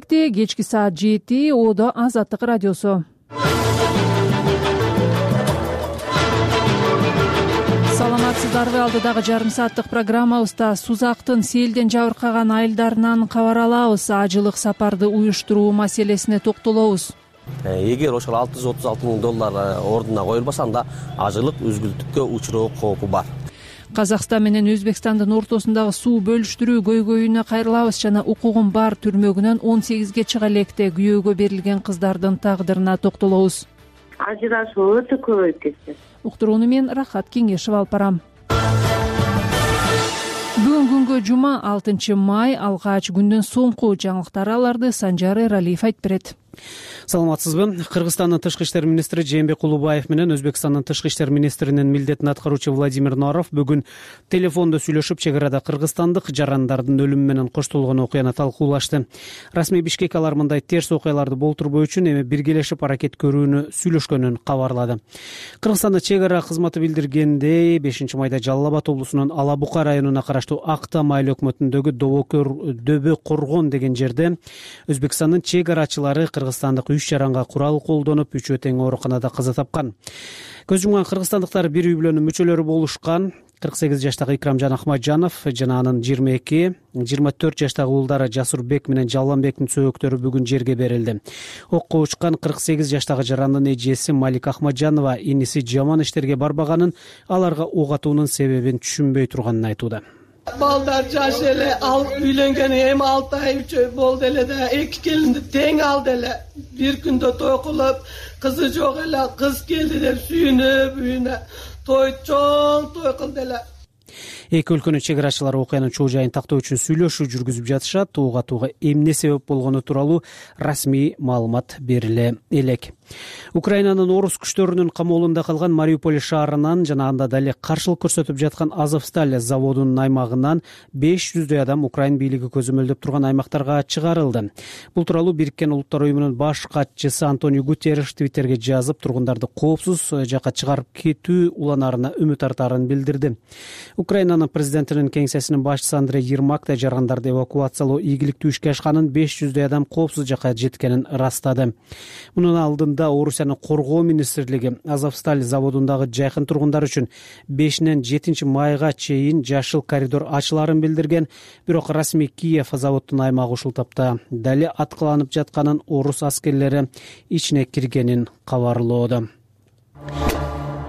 Кечки саат 7 Одо Азаттык радиосу. Саламатсыздарбы? Алдыдагы жарым сааттык программабызда Сузактын селден жабыркаган айылдарынан кабар алабыз. Ажылык сапарды уюштуруу маселесине токтолобуз. Эгер ошол $636,000 ордуна коюлбаса, анда ажылык үзгүлтүккө учуроо коопу бар. Казакстан менен Өзбекстандын ортосундагы суу бөлүштүрүү көйгөйүнө кайрылабыз жана укугун бар түрмөгүнөн 18ге чыга электе күйөөгө берилген кыздардын тагдырына токтолобуз. Ажырашуу өтө көбөйүп кетти. Уктурууну мен Рахат Кеңешев алып барам. Бүгүн күнгө жума 6 май, алгач күндөн соңку жаңылыктар аларды Санжар Эралиев айтып берет. Саламатсызбы? Кыргызстандын тышкы иштер министри Жээнбек Кулубаев менен Өзбекстандын тышкы иштер министринин милдетин аткаруучу Владимир Норов бүгүн телефондо сүйлөшүп, чек арада кыргызстандык жарандардын өлүмү менен коштолгон окуяны талкуулашты. Расмий Бишкек алар мындай терс окуяларды болтурбоо үчүн эми биргелешип аракет көрүүнү сүйлөшкөнүн кабарлады. Кыргызстанда чек ара кызматы билдиргендей, 5 майда Жалал Абад облусунун Ала Бука районуна караштуу Актам айыл өкмөтүндөгү Дөбө Коргон деген жерде Өзбекстандын чек арачылары кыргызстандык 3 жаранга курал колдонуп, 3 тең ооруканада каза тапкан. Көз жумган кыргызстандыктар бир үй бүлөнүн мүчөлөрү болушкан. 48 жаштагы Икрамжан Ахмаджанов жана анын 22-24 жаштагы уулдары Жасурбек менен Жалланбектин сөөгүттөрү бүгүн жерге берилди. Окко учкан 48 жаштагы жарандын эжеси Малик Ахмаджанова иниси жаман иштерге барбаганын, аларга ок атуунун себебин түшүнбөй турганын айтууда. Балдар жаш эле, ал үйлөнгөнү эми 6 ай 3 ай болду эле да, 2 келинди тең алды эле. Бир күндө той кылып, кызы жок эле, кыз келди деп сүйүнүп, үйүнө чоң той кылды эле. Эки өлкөнүн чек арачылары окуянын чоо жайын тактоо үчүн сүйлөшүү жүргүзүп жатышат. Ок атууга эмне себеп болгону тууралуу расмий маалымат бериле элек. Украинанын орус күчтөрүнүн камоолунда калган Мариуполь шаарынан жана анда дале каршылык көрсөтүп жаткан Азовсталь заводунун аймагынан 500 адам Украин бийлиги көзөмөлдөп турган аймактарга чыгарылды. Бул тууралуу Бириккен Улуттар уюмунун баш катчысы Антонио Гутерриш Твиттерге жазып, тургундарды коопсуз жакка чыгарып кетүү уланарына үмүт артаарын билдирди. Украинанын президентинин кеңсесинин башчысы Андрей Ермак да жарандарды эвакуациялоо ийгиликтүү ишке ашканын, 500 адам коопсуз жакка жеткенин ырастады. Мунун алдында Орусиянын коргоо министрлиги Азовсталь заводундагы жайкын тургундар үчүн 5-нен 7 майга чейин жашыл коридор ачыларын билдирген, бирок расмий Киев заводдун аймагы ушул тапта дале аткыланып жатканын, орус аскерлери ичине киргенин кабарлоодо.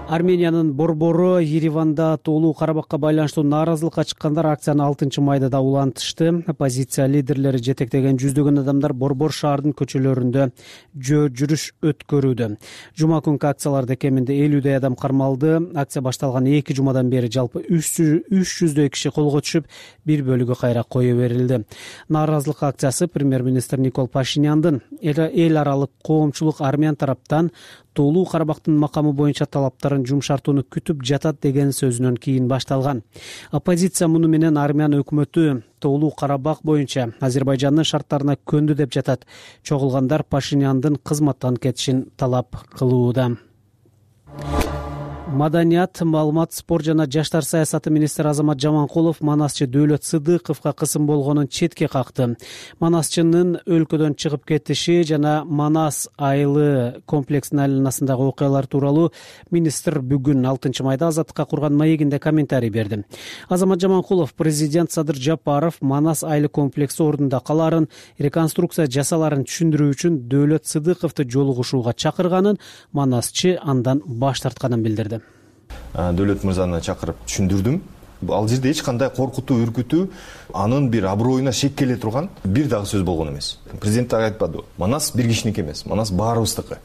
Армениянын борбору Ереванда Тоолуу Карабакка байланыштуу нааразылыкка чыккандар акцияны 6 майда да улантышты. Оппозиция лидерлери жетектеген жүздөгөн адамдар борбор шаардын көчөлөрүндө жүрүш өткөрүүдө. Жума күнкү акцияларда кеминде 50 адам кармалды. Акция башталган 2 жумадан бери жалпы 300 киши колго түшүп, бир бөлүгү кайра кое берилди. Нааразылык акциясы премьер-министр Никол Пашиняндын эл аралык коомчулук армян тараптан Тоолуу Карабактын макамы боюнча талаптарын жумшартууну күтүп жатат деген сөзүнөн кийин башталган. Оппозиция муну менен армян өкмөтү Тоолуу Карабак боюнча Азербайжандын шарттарына көндү деп жатат. Чогулгандар Пашиняндын кызматтан кетишин талап кылууда. Маданият, маалымат, спорт жана жаштар саясаты министри Азамат Жаманкулов Манасчы Дөөлөт Сыдыковго кысым болгонун четке какты. Манасчынын өлкөдөн чыгып кетиши жана Манас айылы комплексинин айланасындагы окуялар тууралуу министр бүгүн 6 майда Азаттыкка курган маегинде комментарий берди. Азамат Жаманкулов президент Садыр Жапаров Манас айылы комплекси ордунда каларын, реконструкция жасаларын түшүндүрүү үчүн Дөөлөт Сыдыковду жолугушууга чакырганын, Манасчы андан баш тартканын билдирди. Дөөлөт мырзаны чакырып түшүндүрдүм. Ал жерде эч кандай коркутуу, үркүтүү, анын бир аброюна шек келе турган бир дагы сөз болгон эмес. Президент так айтпады. Манас бир кишиники эмес, Манас баарыбыздыкы.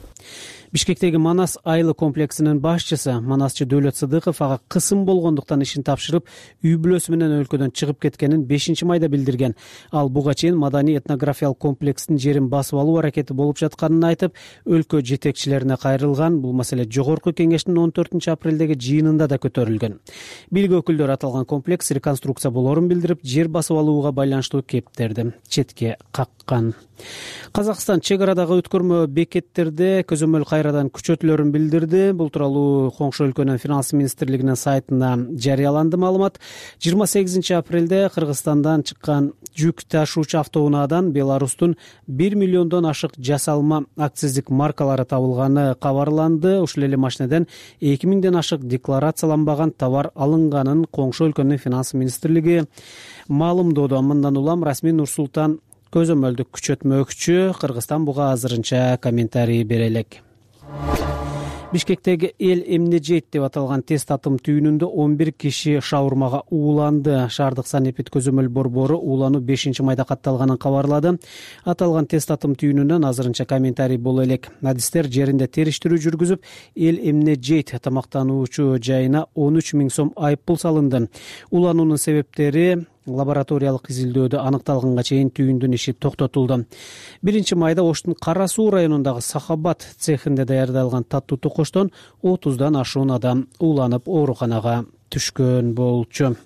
Бишкектеги Манас айылы комплексинин башчысы Манасчы Дөөлөт Сыдыков ага кысым болгондуктан ишин тапшырып, үй бүлөсү менен өлкөдөн чыгып кеткенин 5 майда билдирген. Ал буга чейин маданий этнографиялык комплекстин жерин басып алуу аракети болуп жатканын айтып, өлкө жетекчилерине кайрылган. Бул маселе Жогорку кеңештин 14 апрелдеги жыйынында да көтөрүлгөн. Бийлик өкүлдөрү аталган комплекс реконструкция болоорун билдирип, жер басып алууга байланыштуу кептерди четке каккан. Казакстан чек арадагы өткөрмө бекеттерде көзөмөл кайрадан күчөтүлөрүн билдирди. Бул тууралуу коңшу өлкөнүн финанс министрлигинин сайтына жарыяланды маалымат. 28 апрелде Кыргызстандан чыккан жүк ташуучу автоунаадан Беларустун 1 миллиондон ашык жасалма акциздик маркалары табылганы кабарланды. Ушул эле машинеден 2000ден ашык декларацияланбаган товар алынганын коңшу өлкөнүн финанс министрлиги маалымдоодо. Мындан улам расмий Нур-Султан көзөмөлдүк күчөтмөкчү. Кыргызстан буга азырынча комментарий бере элек. Бишкектеги эл эмне жейт деп аталган тест татым түйүнүндө 11 киши шаурмага ууланды. Шаардык санэпид көзөмөл борбору уулануу 5-майда катталганын кабарлады. Аталган тест татым түйүнүнөн азырынча комментарий боло элек. Адистер жеринде териштирүү жүргүзүп, эл эмне жейт тамактануучу жайына 13 000 сом айыппул салынды. Уулануунун себептери лабораториялык изилдөөдө аныкталганга чейин түйүндүн иши токтотулду. 1-майда Оштун Кара Суу районундагы Сахабат цехинде даярдалган таттуу токоштон 30дан ашуун адам ууланып ооруканага түшкөн болчу.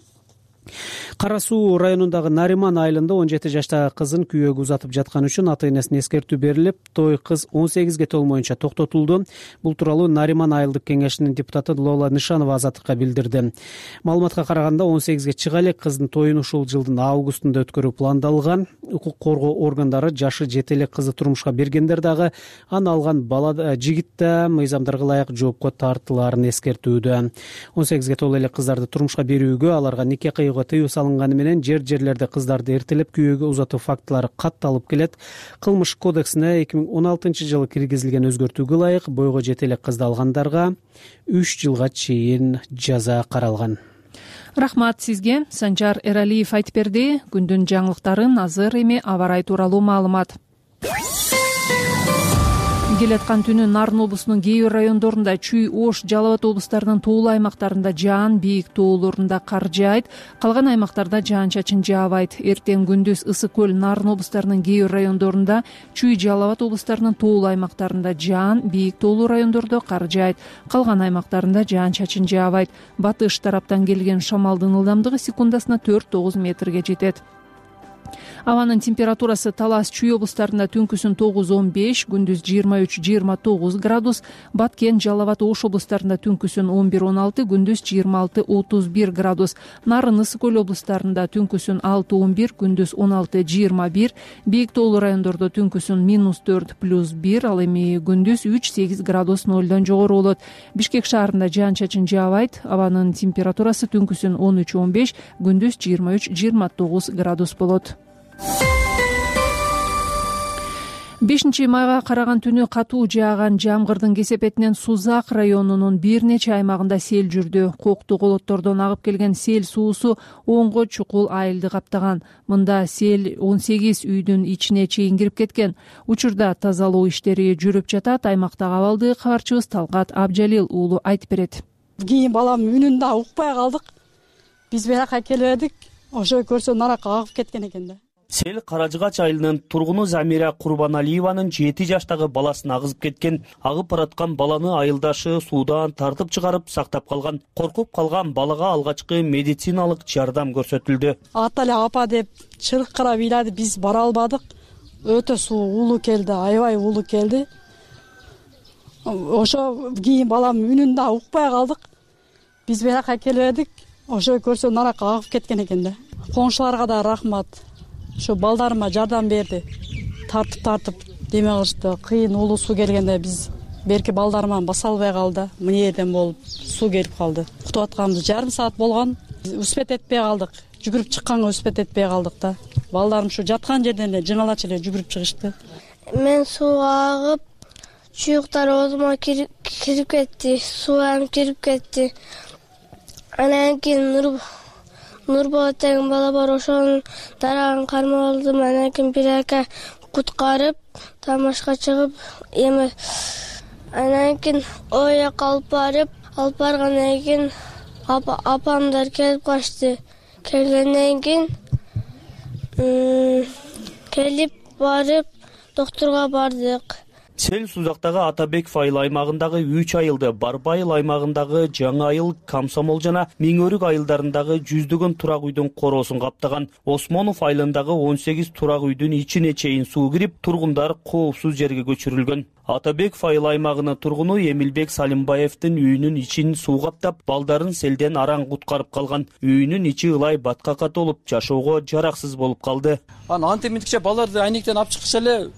Кара Суу районундагы Нариман айылында 17 жаштагы кызын күйөөгө узатып жаткан үчүн ата-энесине эскертүү берилип, той кыз 18ге толмоюнча токтотулду. Бул тууралуу Нариман айылдык кеңешинин депутаты Лола Нишанова Азаттыкка билдирди. Маалыматка караганда 18ге чыга элек кыздын тоюн ушул жылдын августунда өткөрүү пландалган. Укук коргоо органдары жашы жете элек кызды турмушка бергендер дагы аны алган бала жигит да мыйзамдарга ылайык жоопко тартылаарын эскертүүдө. 18ге толо элек кыздарды турмушка берүүгө, аларга нике тыюу салынганы менен жерлерде кыздарды эртелеп күйөөгө узатуу фактылары катталып келет. Кылмыш кодексине 2016-жылы киргизилген өзгөртүүгө ылайык бойго жете элек кызды алгандарга 3 жылга чейин жаза каралган. Рахмат сизге. Санжар Эралиев айтып берди. Күндүн жаңылыктарын азыр эми аба ырайы тууралуу маалымат. Келаткан түнү Нарын облусунун кээ бир райондорунда, Чүй, Ош, Жалал Абад облустарынын тоолуу аймактарында жаан, бийик тоолорунда кар жаайт. Калган аймактарда жаан-чачын жаабайт. Эртең күндүз Ысык көл, Нарын облустарынын кээ бир райондорунда, Чүй, Жалал Абад облустарынын тоолуу аймактарында жаан, бийик тоолуу райондордо кар жаайт. Калган аймактарында жаан-чачын жаабайт. Батыш тараптан келген шамалдын ылдамдыгы секундасына 4-9 метрге жетет. Абанын температурасы Талас, Чүй облустарында түнкүсүн 9-15, күндүз 23-29 градус, Баткен, Жалал Абад, Ош облустарында түнкүсүн 11-16, күндүз 26-31 градус, Нарын, Ысык көл облустарында түнкүсүн 6-11, күндүз 16-21, бийик тоолуу райондордо түнкүсүн -4+1, ал эми күндүз 3-8 градус нолдон жогору болот. Бишкек шаарында жаан-чачын жаабайт. Абанын температурасы түнкүсүн 13-15, күндүз 23-29 градус болот. 5-майга караган түнү катуу жааган жамгырдын кесепетинен Сузак районунун бир нече аймагында сел жүрдү. Кокту колоттордон агып келген сел суусу оңго чукул айылды каптаган. Мында сел 18 үйдүн ичине чейин кирип кеткен. Учурда тазалоо иштери жүрүп жатат. Аймактагы абалды кабарчыбыз Талгат Абжалил уулу айтып берет. Кийин балам үнүн да укпай калдык. Биз беракка келбедик. Ошо көрсө наракка агып кеткен экен да. Сел Каражыгач айылынын тургуну Замира Курбаналиеванын 7 жаштагы баласын агызып кеткен. Агып бараткан баланы айылдашы суудан тартып чыгарып сактап калган. Коркуп калган балага алгачкы медициналык жардам көрсөтүлдү. Ата эле апа деп чыркырап ыйлады, биз бара албадык. Өтө суу уулуу келди, аябай уулуу келди. Ошо кийин балам үнүн да укпай калдык. Биз беракка келбедик. Ошо көрсө наракка агып кеткен экен да. Коңшуларга да рахмат. Ошо балдарыма жардам берди. Тартып деме кылышты. Кыйын уулуу суу келгенде биз берки балдарыма баса албай калды. Мына жерден болуп суу келип калды. Кутуп атканыбыз жарым саат болгон. Успет этпей калдык. Жүгүрүп чыкканга успет этпей калдык да. Балдарым ушу жаткан жерден эле жыңалачу эле жүгүрүп чыгышты. Мен сууга агып, чуюктар оозума кирип кетти. Суу кирип кетти. Анан кийин Нурболот деген бала бар, ошонун дарагын кармап алдым. Анан кийин бирээке куткарып, тамашка чыгып, эми анан кийин ой жака алып баргандан кийин апамдар келип калышты. Келгенден кийин келип барып доктурга бардык. Сел Сузактагы Атабеков айыл аймагындагы 3 айылды, Барбайыл аймагындагы Жаңы айыл, Комсомол жана Миңөрүк айылдарындагы жүздөгөн турак үйдүн короосун каптаган. Осмонов айылындагы 18 турак үйдүн ичине чейин суу кирип, тургундар коопсуз жерге көчүрүлгөн. Атабеков айыл аймагынын тургуну Эмилбек Салимбаевдин үйүнүн ичин суу каптап, балдарын селден араң куткарып калган. Үйүнүн ичи ылай баткакка толуп, жашоого жараксыз болуп калды. Антеминдикче балдарды айнектен алып чыккыч эле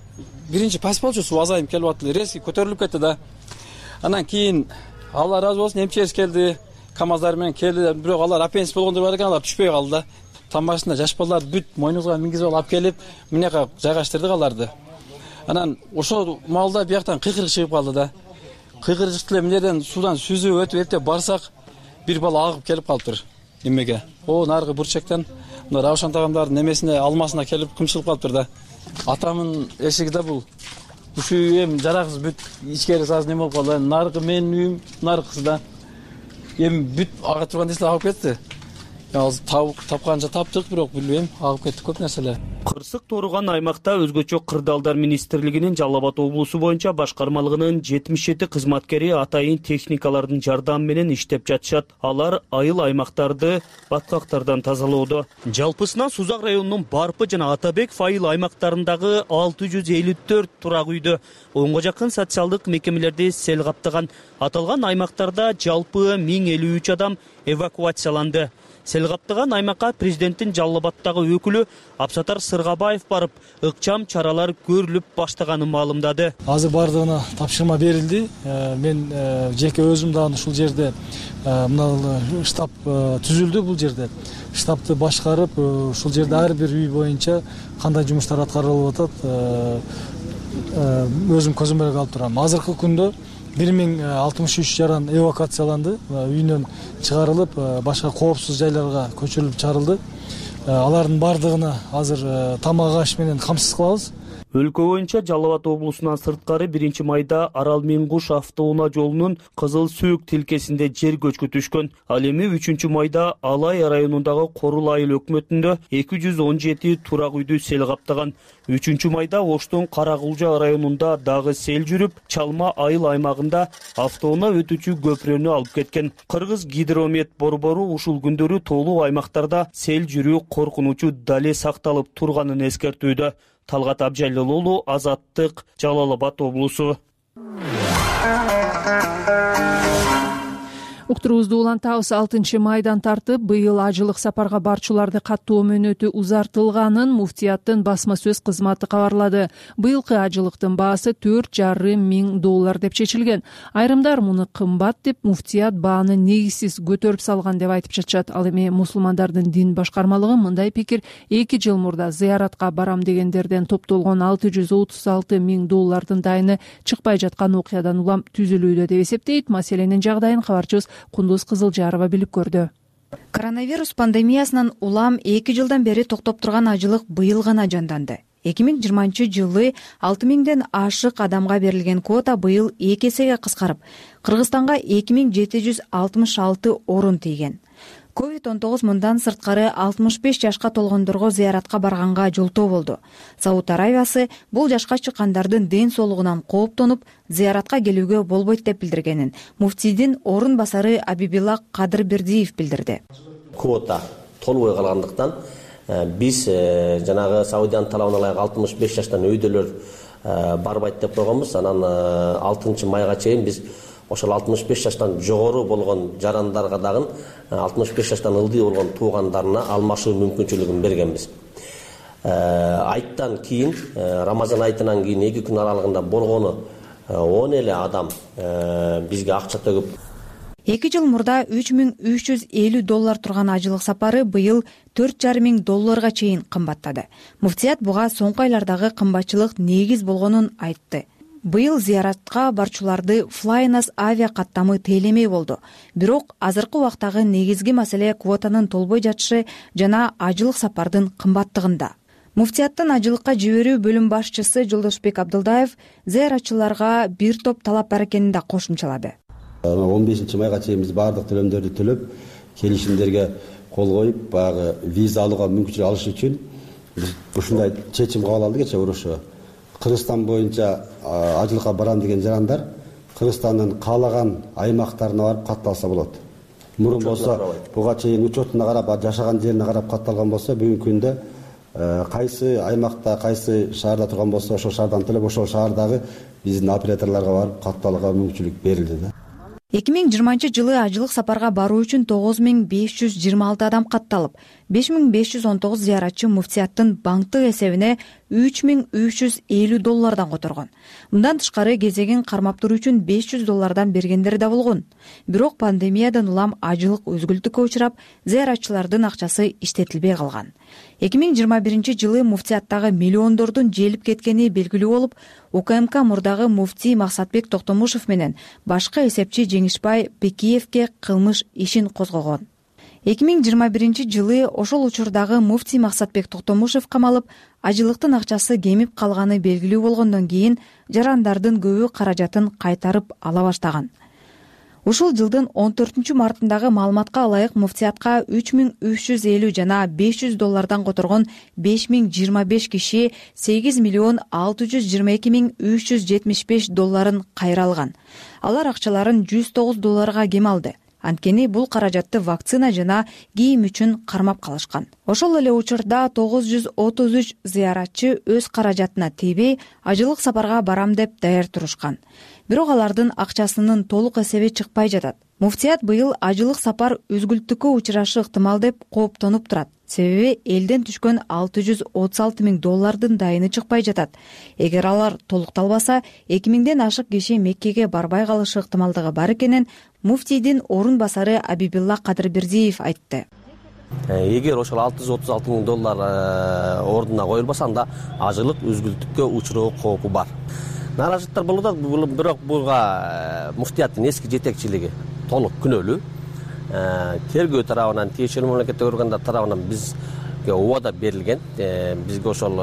биринчи пас болчу, суу азайып келип атты, резкий көтөрүлүп кетти да. Анан кийин Алла ыраазы болсун, эмчес келди, КамАЗдар менен келди, бирок алар аппендис болгондор бар экен, алар түшпөй калды да. Тамашында жаш балдар бүт мойнубузга мингизип алып келип, мынека жайгаштырдык аларды. Анан ошол маалда бияктан кыйкырык чыгып калды да. Кыйкырык чыкты эле, мынерден суудан сүзүп өтүп эртеп барсак, бир бала агып келип калыптыр эмеге. Наркы бурчектен мына Равшан тагамдардын немесине, алмасына келип кымчылып калыптыр да. Атамын эшиги да бул. Ушу эми жараксыз бүт ичкери саз неме болуп калды. Наркы менин үйүм, наркысы да. Эми бүт ага турган нерселер агып кетти. Азыр тапканча таптык, бирок билбейм, агып кетти көп нерселер. Кырсык тууруган аймакта өзгөчө Кырдаалдар министрлигинин Жалал Абад облусу боюнча башкармалыгынын 77 кызматкери атайын техникалардын жардамы менен иштеп жатышат. Алар айыл аймактарды баткактардан тазалоодо. Жалпысынан Сузак районунун Барпы жана Атабеков айыл аймактарындагы 654 турак үйдө онго жакын социалдык мекемелерди сел каптаган. Аталган аймактарда жалпы 1053 адам эвакуацияланды. Сел каптаган аймакка президенттин Жалал Абадтагы өкүлү Абсатар Сыргабаев барып, ыкчам чаралар көрүлүп баштаганын маалымдады. Азыр бардыгына тапшырма берилди. Мен жеке өзүм дагы ушул жерде мына штаб түзүлдү, бул жерде. Штабты башкарып, ушул жерде ар бир үй боюнча кандай жумуштар аткарылып атат, өзүм көзүм менен алып турам. Азыркы күндө 1063 жаран эвакуацияланды, үйүнөн чыгарылып, башка коопсуз жайларга көчүрүлүп чыгарылды. Алардын бардыгына азыр тамак аш менен камсыз кылабыз. Өлкө боюнча Жалал Абад облусунан сырткары 1-майда Арал-Миңгуш автоунаа жолунун Кызыл Сөөк тилкесинде жер көчкү түшкөн. Ал эми 3-майда Алай районундагы Корул айыл өкмөтүндө 217 турак үйдү сел каптаган. 3-майда Оштун Каракулжа районунда дагы сел жүрүп, Чалма айыл аймагында автоунаа өтүүчү көпүрөнү алып кеткен. Кыргыз гидромет борбору ушул күндөрү тоолуу аймактарда сел жүрүү коркунучу дале сакталып турганын эскертүүдө. Талгат Абжалилуулу, Азаттык, Жалал Абад облусу. Уктуруубузду улантабыз. 6-майдан тартып быйыл ажылык сапарга барчуларды каттоо мөөнөтү узартылганын муфтияттын басма сөз кызматы кабарлады. Быйылкы ажылыктын баасы $4,500 деп чечилген. Айрымдар муну кымбат деп, муфтият бааны негизсиз көтөрүп салган деп айтып жатышат. Ал эми мусулмандардын дин башкармалыгы мындай пикир 2 жыл мурда зыяратка барам дегендерден топтолгон $636,000 дайыны чыкпай жаткан окуядан улам түзүлүүдө деп эсептейт. Маселенин жагдайын кабарчыбыз Кундуз Кызылжарова билип көрдү. Коронавирус пандемиясынан улам 2 жылдан бери токтоп турган ажылык быйыл гана жанданды. 2020-жылы 6000ден ашык адамга берилген квота быйыл 2 эсеге кыскарып, Кыргызстанга 2766 орун тийген. COVID-19 мындан сырткары 65 жашка толгондорго зыяратка барганга жолтоо болду. Сауд Аравиясы бул жашка чыккандардын ден соолугунан кооптонуп, зыяратка келүүгө болбойт деп билдиргенин муфтийдин орун басары Абибилла Кадырбердиев билдирди. Квота толбой калгандыктан биз жанагы Саудиянын талабына ылайык 65 жаштан өйдөлөр барбайт деп койгонбуз. Анан 6-майга чейин биз ошол 65 жаштан жогору болгон жарандарга дагы 65 жаштан ылдый болгон туугандарына алмашуу мүмкүнчүлүгүн бергенбиз. Айттан кийин, Рамазан айтынан кийин 2 күн аралыгында болгону 10 эле адам бизге акча төгүп. 2 жыл мурда $3,350 турган ажылык сапары быйыл $4,500 чейин кымбаттады. Муфтият буга соңку айлардагы кымбатчылык негиз болгонун айтты. Быйыл зыяратка барчуларды Flynas авиа каттамы тейлемей болду. Бирок азыркы убактагы негизги маселе квотанын толбой жатышы жана ажылык сапардын кымбаттыгында. Муфтияттын ажылыкка жиберүү бөлүм башчысы Жолдошбек Абдылдаев зыяратчыларга бир топ талап бар экенин да кошумчалады. 15-майга чейин биз бардык төлөмдөрдү төлөп, келишимдерге кол коюп, баягы виза алууга мүмкүнчүлүк алыш үчүн биз ушундай чечим кабыл алдык. Кече урушуу Кыргызстан боюнча ажылыкка барам деген жарандар Кыргызстандын каалаган аймактарына барып катталса болот. Мурун болсо буга чейин учетуна карап, жашаган жерине карап катталган болсо, бүгүнкү күндө кайсы аймакта, кайсы шаарда турган болсо, ошол шаардан төлөп ошол шаардагы биздин операторлорго барып катталууга мүмкүнчүлүк берилди да. 2020-жылы ажылык сапарга баруу үчүн 9526 адам катталып, 5519 зыяратчы муфтияттын банктык эсебине $3350 которгон. Мындан тышкары кезегин кармап туруу үчүн $500 бергендер да болгон. Бирок пандемиядан улам ажылык өзгүлтүккө учурап, зыяратчылардын акчасы иштетилбей калган. 2021-жылы муфтияттагы миллиондордун желип кеткени белгилүү болуп, УКМК мурдагы муфтий Максатбек Токтомушев менен башкы эсепчи Жеңишбай Пекиевке кылмыш ишин козгогон. 2021-жылы ошол учурдагы муфтий Максатбек Токтомушев камалып, ажылыктын акчасы кемип калганы белгилүү болгондон кийин жарандардын көбү каражатын кайтарып ала баштаган. Ушул жылдын 14-мартындагы маалыматка ылайык муфтиятка $3350 жана $500 которгон 5025 киши $8,622,375 кайра алган. Алар акчаларын $109 кем алды. Анткени бул каражатты вакцина жана кийим үчүн кармап калышкан. Ошол эле учурда 933 зыяратчы өз каражатына тийбей ажылык сапарга барам деп даяр турушкан. Бирок алардын акчасынын толук эсеби чыкпай жатат. Муфтият быйыл ажылык сапар өзгүлтүккө учурашы ыктымал деп кооптонуп турат. Себеби элден түшкөн $636,000 дайыны чыкпай жатат. Эгер алар толукталбаса, 2000ден ашык киши Меккеге барбай калышы ыктымалдыгы бар экенин муфтийдин орун басары Абибилла Кадырбердиев айтты. Эгер ошол $636,000 ордуна коюлбаса, анда ажылык өзгүлтүккө учуроо коопу бар. Наражаттар болуп атат, бирок буга муфтияттын эски жетекчилиги толук күнөөлүү. Тергөө тарабынан, тиешелүү мамлекеттик органдар тарабынан бизге убада берилген. Бизге ошол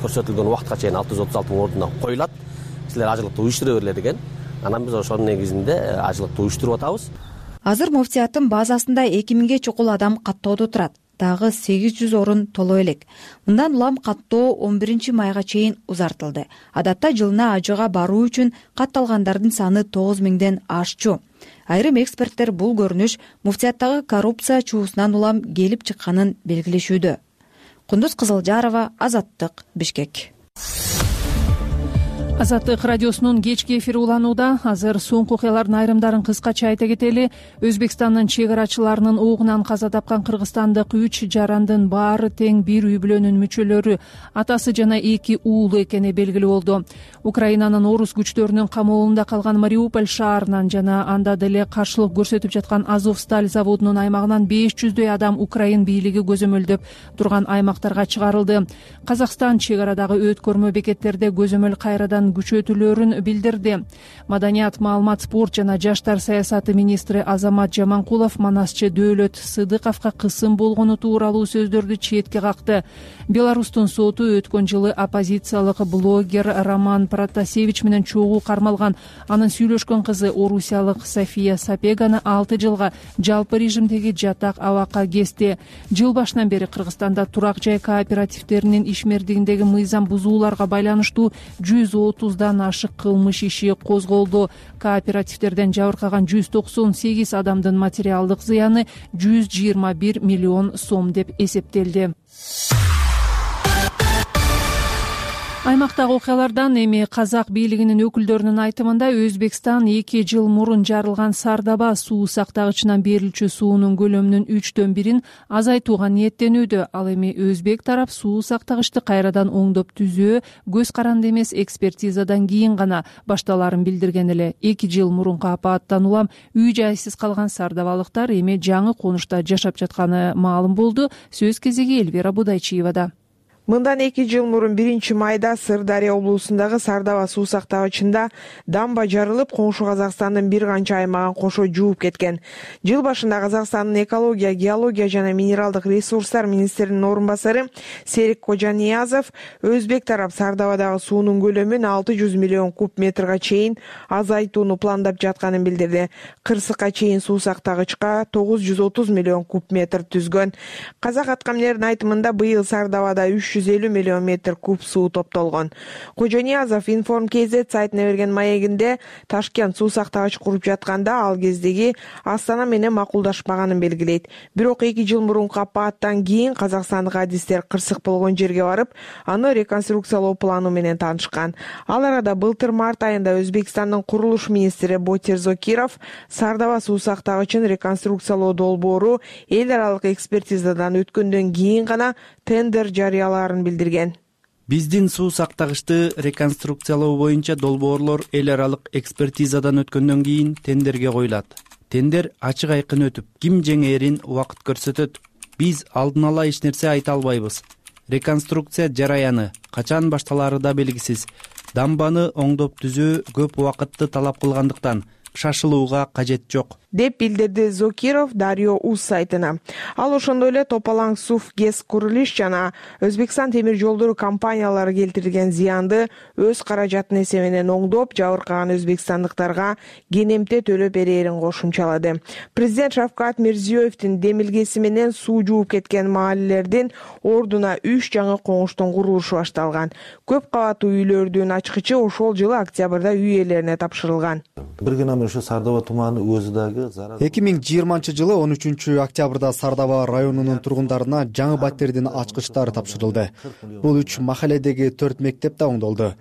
көрсөтүлгөн убакытка чейин 636 ордуна коюлат. Силер ажылыкты уюштура бергиле деген. Анан биз ошонун негизинде ажылыкты уюштуруп атабыз. Азыр муфтияттын базасында 2000ге чукул адам каттоодо турат. Дагы 800 орун толо элек. Мындан улам каттоо 11-майга чейин узартылды. Адатта жылына ажыга баруу үчүн катталгандардын саны 9000ден ашчу. Айрым эксперттер бул көрүнүш муфтияттагы коррупция чуусунан улам келип чыкканын белгилешүүдө. Кундуз Кызылжарова, Азаттык, Бишкек. Азаттык радиосунун кечки эфири уланууда. Азыр соңку окуялардын айрымдарын кыскача айта кетели. Өзбекстандын чек арачыларынын оогунан каза тапкан кыргызстандык 3 жарандын баары тең бир үй бүлөнүн мүчөлөрү, атасы жана 2 уулу экени белгилүү болду. Украинанын орус күчтөрүнүн камоолунда калган Мариуполь шаарынан жана анда деле каршылык көрсөтүп жаткан Азовсталь заводунун аймагынан 500дөй адам Украин бийлиги көзөмөлдөп турган аймактарга чыгарылды. Казакстан чек арадагы өткөрмө бекеттерде көзөмөл кайрадан күчөтүлөрүн билдирди. Маданият, маалымат, спорт жана жаштар саясаты министри Азамат Жаманкулов Манасчы Дөөлөт Сыдыковго кысым болгону тууралуу сөздөрдү четке какты. Беларустун соту өткөн жылы оппозициялык блогер Роман Протасевич менен чогуу кармалган. Анын сүйлөшкөн кызы орусиялык София Сапеганы 6 жылга жалпы режимдеги жатак абакка кести. Жыл башынан бери Кыргызстанда турак жай кооперативдеринин ишмердигиндеги мыйзам бузууларга байланыштуу 130дан ашык кылмыш иши козголду. Кооперативдерден жабыркаган 198 адамдын материалдык зыяны 121 миллион сом деп эсептелди. Аймактагы окуялардан эми казак бийлигинин өкүлдөрүнүн айтымында Өзбекстан 2 жыл мурун жарылган Сардаба суу сактагычынан берилчү суунун көлөмүнүн 3/1 азайтууга ниеттенүүдө. Ал эми өзбек тарап суу сактагычты кайрадан оңдоп түзөө көз каранды эмес экспертизадан кийин гана башталарын билдирген эле. 2 жыл мурунку апаттан улам үй жайсыз калган сардабалыктар эми жаңы конушта жашап жатканы маалым болду. Сөз кезеги Эльвира Будайчиевада. Мындан 2 жыл мурун 1-майда Сырдария облусундагы Сардаба суу сактагычында дамба жарылып, коңшу Казакстандын бир канча аймагын кошо жууп кеткен. Жыл башында Казакстандын экология, геология жана минералдык ресурстар министринин орун басары Серик Кожаниязов өзбек тарап Сардабадагы суунун көлөмүн 600 миллион куб метрге чейин азайтууну пландап жатканын билдирди. Кырсыкка чейин суу сактагычка 930 миллион куб метр түзгөн. Казак аткаминердин айтымында быйыл Сардабада 300 350 миллион метр куб суу топтолгон. Кожониязов Inform KZ сайтына берген маегинде Ташкент суу сактагыч куруп жатканда ал кездеги Астана менен макулдашпаганын белгилейт. Бирок 2 жыл мурунку апаттан кийин казакстандык адистер кырсык болгон жерге барып, аны реконструкциялоо планы менен таанышкан. Ал арада былтыр март айында Өзбекстандын курулуш министри Ботир Зокиров Сардаба суу сактагычын реконструкциялоо долбоору эл аралык экспертизадан өткөндөн кийин гана тендер жарыялаарын билдирген. Биздин суу сактагычты реконструкциялоо боюнча долбоорлор эл аралык экспертизадан өткөндөн кийин тендерге коюлат. Тендер ачык айкын өтүп, ким жеңээрин убакыт көрсөтөт. Биз алдын ала эч нерсе айта албайбыз. Реконструкция жараяны качан башталары да белгисиз. Дамбаны оңдоп түзөө көп убакытты талап кылгандыктан шашылууга кажет жок, деп билдирди Зокиров Дарьо Уз сайтына. Ал ошондой эле Топалаң Суф ГЭС Курулиш жана Өзбекстан темир жолдору компаниялары келтирген зыянды өз каражатынын эсебинен оңдоп, жабыркаган өзбекстандыктарга кенемте төлөп берээрин кошумчалады. Президент Шавкат Мирзиёевдин демилгеси менен суу жууп кеткен маалелердин ордуна 3 жаңы коңуштун курулушу башталган. Көп кабаттуу үйлөрдүн ачкычы ошол жылы октябрда үй ээлерине тапшырылган. Бир гана ушу Сардоба туманы өзү дагы 2020 жылы 13 октябрда Сардоба районунун тургундарына жаңы баттердин ачкычтары тапшырылды. Бул 3 махаледеги 4 мектеп да оңдолду.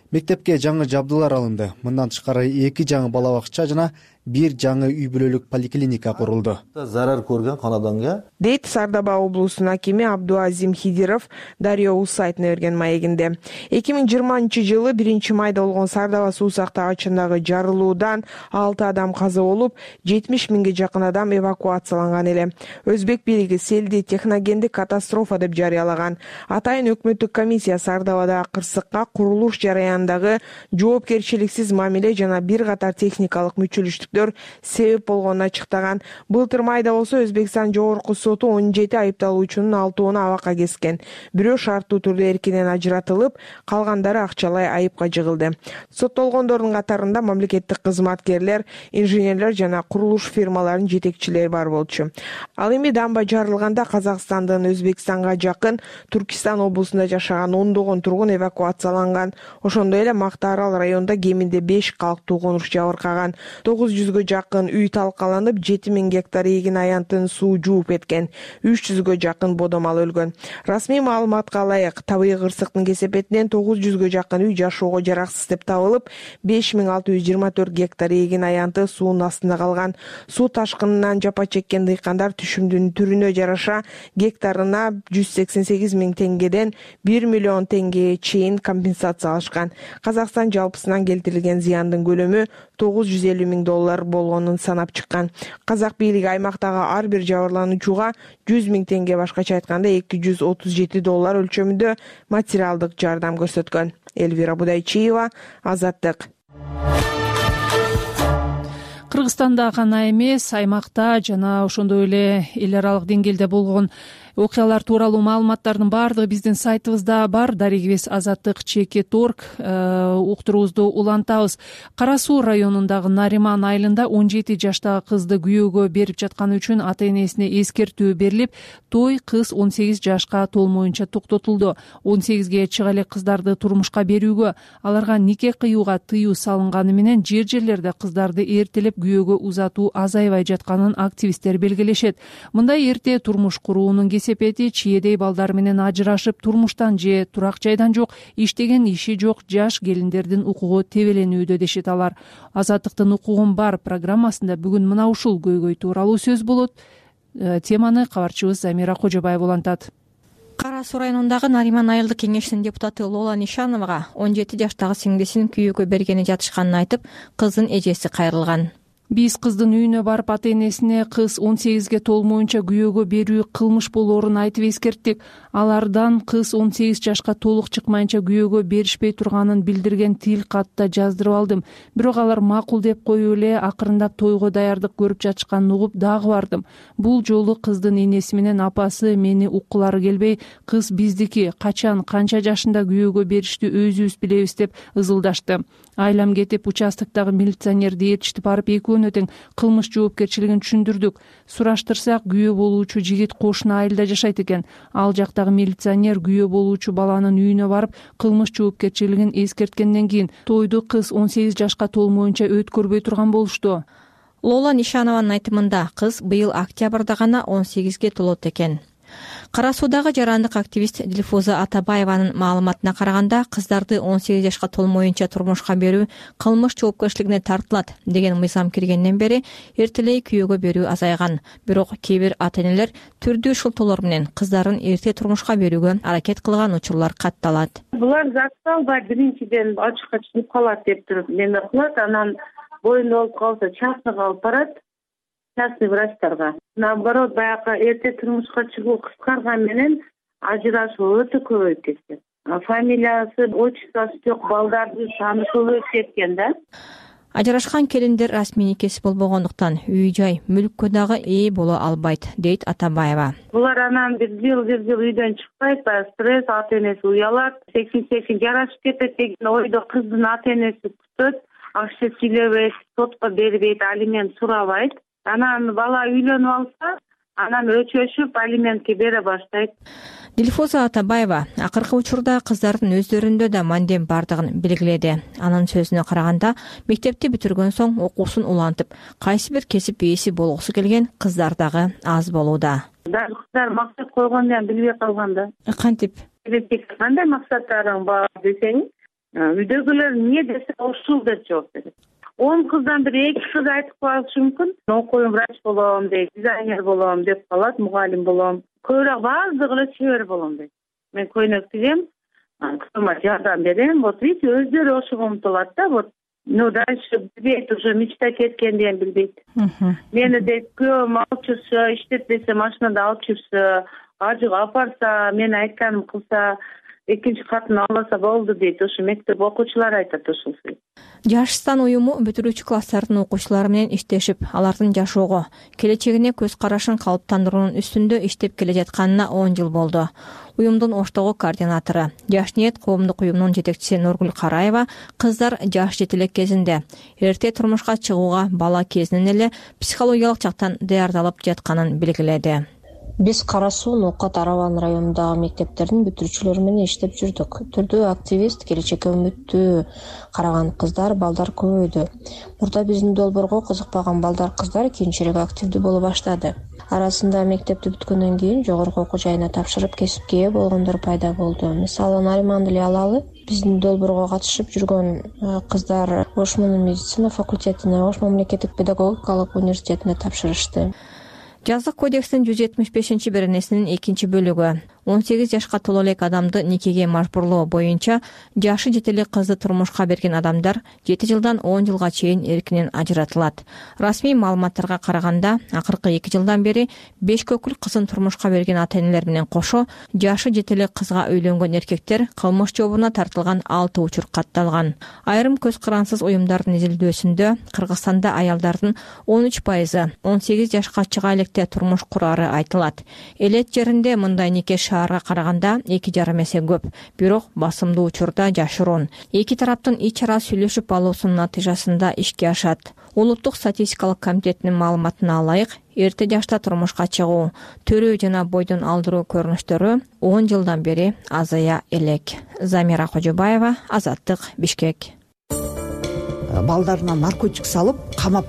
Мектепке жаңы жабдуулар алынды. Мындан тышкары 2 жаңы бала бакча жана 1 жаңы үй бүлөлүк поликлиника курулду. Зарар көргөн канаданга, дейт Сардаба облусунун акими Абдуазим Хидиров Дарьо Уз сайтына берген маегинде. 2020 жылы 1 майда болгон Сардаба суу сактагычындагы жарылуудан 6 адам каза болуп, 70 миңге жакын адам эвакуацияланган эле. Өзбек бийлиги селди техногендик катастрофа деп жарыялаган. Атайын өкмөттүк комиссия Сардабадагы кырсыкка, курулуш жараянындагы жоопкерчиликсиз мамиле жана бир катар техникалык мүчүлүштүк себеп болгонун ачыктаган. Былтыр майда болсо Өзбекстан жогорку соту 17 айыпталуучунун 6-ны абакка кескен. Бирөө шарттуу түрдө эркинен ажыратылып, калгандары акчалай айыпка жыгылды. Соттолгондордун катарында мамлекеттик кызматкерлер, инженерлер жана курулуш фирмаларынын жетекчилери бар болчу. Ал эми дамба жарылганда Казакстандын Өзбекстанга жакын Түркистан облусунда жашаган ондогон тургун эвакуацияланган. Ошондой эле Мактаарал районунда кеминде 5 калктуу конуш жабыркаган. 900-гө жакын үй талкаланып, 7000 гектар эгин аянтын суу жууп кеткен. 300-гө жакын бодомал өлгөн. Расмий маалыматка ылайык, табигый кырсыктын кесепетинен 900-гө жакын үй жашоого жараксыз деп табылып, 5624 гектар эгин аянты суунун астында калган. Суу ташкынынан жапа чеккен дыйкандар түшүмдүн түрүнө жараша гектарына 188 миң теңгеден 1 миллион теңгеге чейин компенсация алышкан. Казакстан жалпысынан келтирилген зыяндын көлөмү $950 миң болгонун санап чыккан. Казак бийлиги аймактагы ар бир жабырлануучуга 100 миң теңге, башкача айтканда $237 өлчөмүндө материалдык жардам көрсөткөн. Элвира Будайчиева, Азаттык. Кыргызстанда гана эмес, аймакта жана ошондой эле эл аралык деңгээлде болгон окуялар тууралуу маалыматтардын баардыгы биздин сайтыбызда бар. Дарегибиз Азаттык.org уктуруубузду улантабыз. Кара Суу районундагы Нариман айылында 17 жаштагы кызды күйөөгө берип жатканы үчүн ата-энесине эскертүү берилип, той кыз 18 жашка толмоюнча токтотулду. 18ге чыга элек кыздарды турмушка берүүгө, аларга нике кыюуга тыюу салынганы менен жер-жерлерде кыздарды эртелеп күйөөгө узатуу азайбай жатканын активисттер белгилешет. Мындай эрте турмуш куруунун кесепети чиедей балдар менен ажырашып, турмуштан же турак жайдан жок, иштеген иши жок жаш келиндердин укугу тебеленүүдө дешет алар. Азаттыктын укугум бар программасында бүгүн мына ушул көйгөй тууралуу сөз болот. Теманы кабарчыбыз Замира Кожобаева улантат. Кара Суу районундагы Нариман айылдык кеңешинин депутаты Лола Нишановага 17 жаштагы сиңдисин күйөөгө бергени жатышканын айтып, кыздын эжеси кайрылган. Биз кыздын үйүнө барып ата-энесине кыз 18ге толмоюнча күйөөгө берүү кылмыш болоорун айтып эскерттик. Алардан кыз 18 жашка толук чыкмайынча күйөөгө беришпей турганын билдирген тил катта жаздырып алдым. Бирок алар макул деп коюп эле акырындап тойго даярдык көрүп жатышканын угуп дагы бардым. Бул жолу кыздын энеси менен апасы мени уккулары келбей, кыз биздики, качан, канча жашында күйөөгө беришти өзүбүз билебиз деп ызылдашты. Айлам кетип, участоктогу милиционерди ээрчитип барып экөө көргөнүнө тең кылмыш жоопкерчилигин түшүндүрдүк. Сураштырсак, күйөө болуучу жигит кошуна айылда жашайт экен. Ал жактагы милиционер күйөө болуучу баланын үйүнө барып, кылмыш жоопкерчилигин эскерткенден кийин тойду кыз 18 жашка толмоюнча өткөрбөй турган болушту. Лола Нишанованын айтымында кыз быйыл октябрда гана 18ге толот экен. Кара Суудагы жарандык активист Дилфуза Атабаеванын маалыматына караганда, кыздарды 18 жашка толмоюнча турмушка берүү кылмыш жоопкерчилигине тартылат деген мыйзам киргенден бери эртелей күйөөгө берүү азайган. Бирок кээ бир ата-энелер түрдүү шылтоолор менен кыздарын эрте турмушка берүүгө аракет кылган учурлар катталат. Булар закталбай биринчиден ачыкка чыгып калат деп туруп неме кылат, анан боюнда болуп калса частныйга алып барат. Частный врачтарга. Наоборот, баягы эрте турмушка чыгуу кыскарган менен ажырашуу өтө көбөйүп кеткен. Фамилиясы, отчествосы жок балдардын саны көбөйүп кеткен да. Ажырашкан келиндер расмий никеси болбогондуктан үй-жай, мүлккө дагы ээ боло албайт, дейт Атабаева. Булар анан бир жыл үйдөн чыкпайт, стресс, ата-энеси уялат, секин жарашып кетет деген ойдо кыздын ата-энеси күтөт, акча сүйлөбөйт, сотко бербейт, алимент сурабайт. Анан бала үйлөнүп алса, анан өчөшүп алиментке бере баштайт. Дилфуза Атабаева акыркы учурда кыздардын өздөрүндө да мандем бардыгын белгиледи. Анын сөзүнө караганда, мектепти бүтүргөн соң окуусун улантып, кайсы бир кесип ээси болгусу келген кыздар дагы аз болууда. Дагы кыздар максат койгондон билбей калган да. Кантип? Кандай максаттарың бар десең, үйдөгүлөр эмне десе ушул деп жооп берет. 10 кыздан бир 2 кыз айтып калышы мүмкүн. Окуйм, врач болом дейт, дизайнер болом деп калат, мугалим болом. Көбүрөөк баардыгы эле чебер болом дейт. Мен көйнөк тигем, кызыма жардам берем. Вот видите, өздөрү ошого умтулат да, вот. Ну дальше билбейт, уже мечта кеткенден билбейт. Мени дейт, күйөөм алып жүрсө, иштетпесе машинада алып жүрсө, ажыга апарса, мен айтканым кылса, экинчи катын албаса болду дейт. Ошо мектеп окуучулары айтат ошол. Жашстан уюму бүтүрүүчү класстардын окуучулары менен иштешип, алардын жашоого, келечегине көз карашын калыптандыруунун үстүндө иштеп келе жатканына 10 жыл болду. Уюмдун Оштогу координатору, Жаш ниет коомдук уюмунун жетекчиси Нургүл Караева кыздар жаш жетелек кезинде эрте турмушка чыгууга бала кезинен эле психологиялык жактан даярдалып жатканын белгиледи. Биз Кара Суу, Ноокат, Араван районундагы мектептердин бүтүрүүчүлөрү менен иштеп жүрдүк. Түрдүү активист, келечекке үмүттүү караган кыздар, балдар көбөйдү. Мурда биздин долбоорго кызыкпаган балдар, кыздар кийинчерээк активдүү боло баштады. Арасында мектепти бүткөндөн кийин жогорку окуу жайына тапшырып кесипке ээ болгондор пайда болду. Мисалы, Нариманды эле алалы. Биздин долбоорго катышып жүргөн кыздар Ошмун медицина факультетине, Ошмун мамлекеттик педагогикалык университетине тапшырышты. Жазык кодекстин 175-беренесинин 2-бөлүгү 18 жашка толо элек адамды никеге мажбурлоо боюнча жашы жете элек кызды турмушка берген адамдар 7 жылдан 10 жылга чейин эркинен ажыратылат. Расмий маалыматтарга караганда, акыркы 2 жылдан бери 5 көкүл кызын турмушка берген ата-энелер менен кошо жашы жете элек кызга үйлөнгөн эркектер кылмыш жообуна тартылган 6 учур катталган. Айрым көз карансыз уюмдардын изилдөөсүндө Кыргызстанда аялдардын 13% 18 жашка чыга электе турмуш курары айтылат. Элет жеринде мындай нике шаарга караганда 2,5 эсе көп, бирок басымдуу учурда жашыруун. Эки тараптын ич ара сүйлөшүп алуусунун натыйжасында ишке ашат. Улуттук статистикалык комитетинин маалыматына алайык, эрте жашта турмушка чыгуу, төрөө жана бойдон алдыруу көрүнүштөрү 10 жылдан бери азая элек. Замира Кожобаева, Азаттык, Бишкек. Балдарына наркотик салып, камап,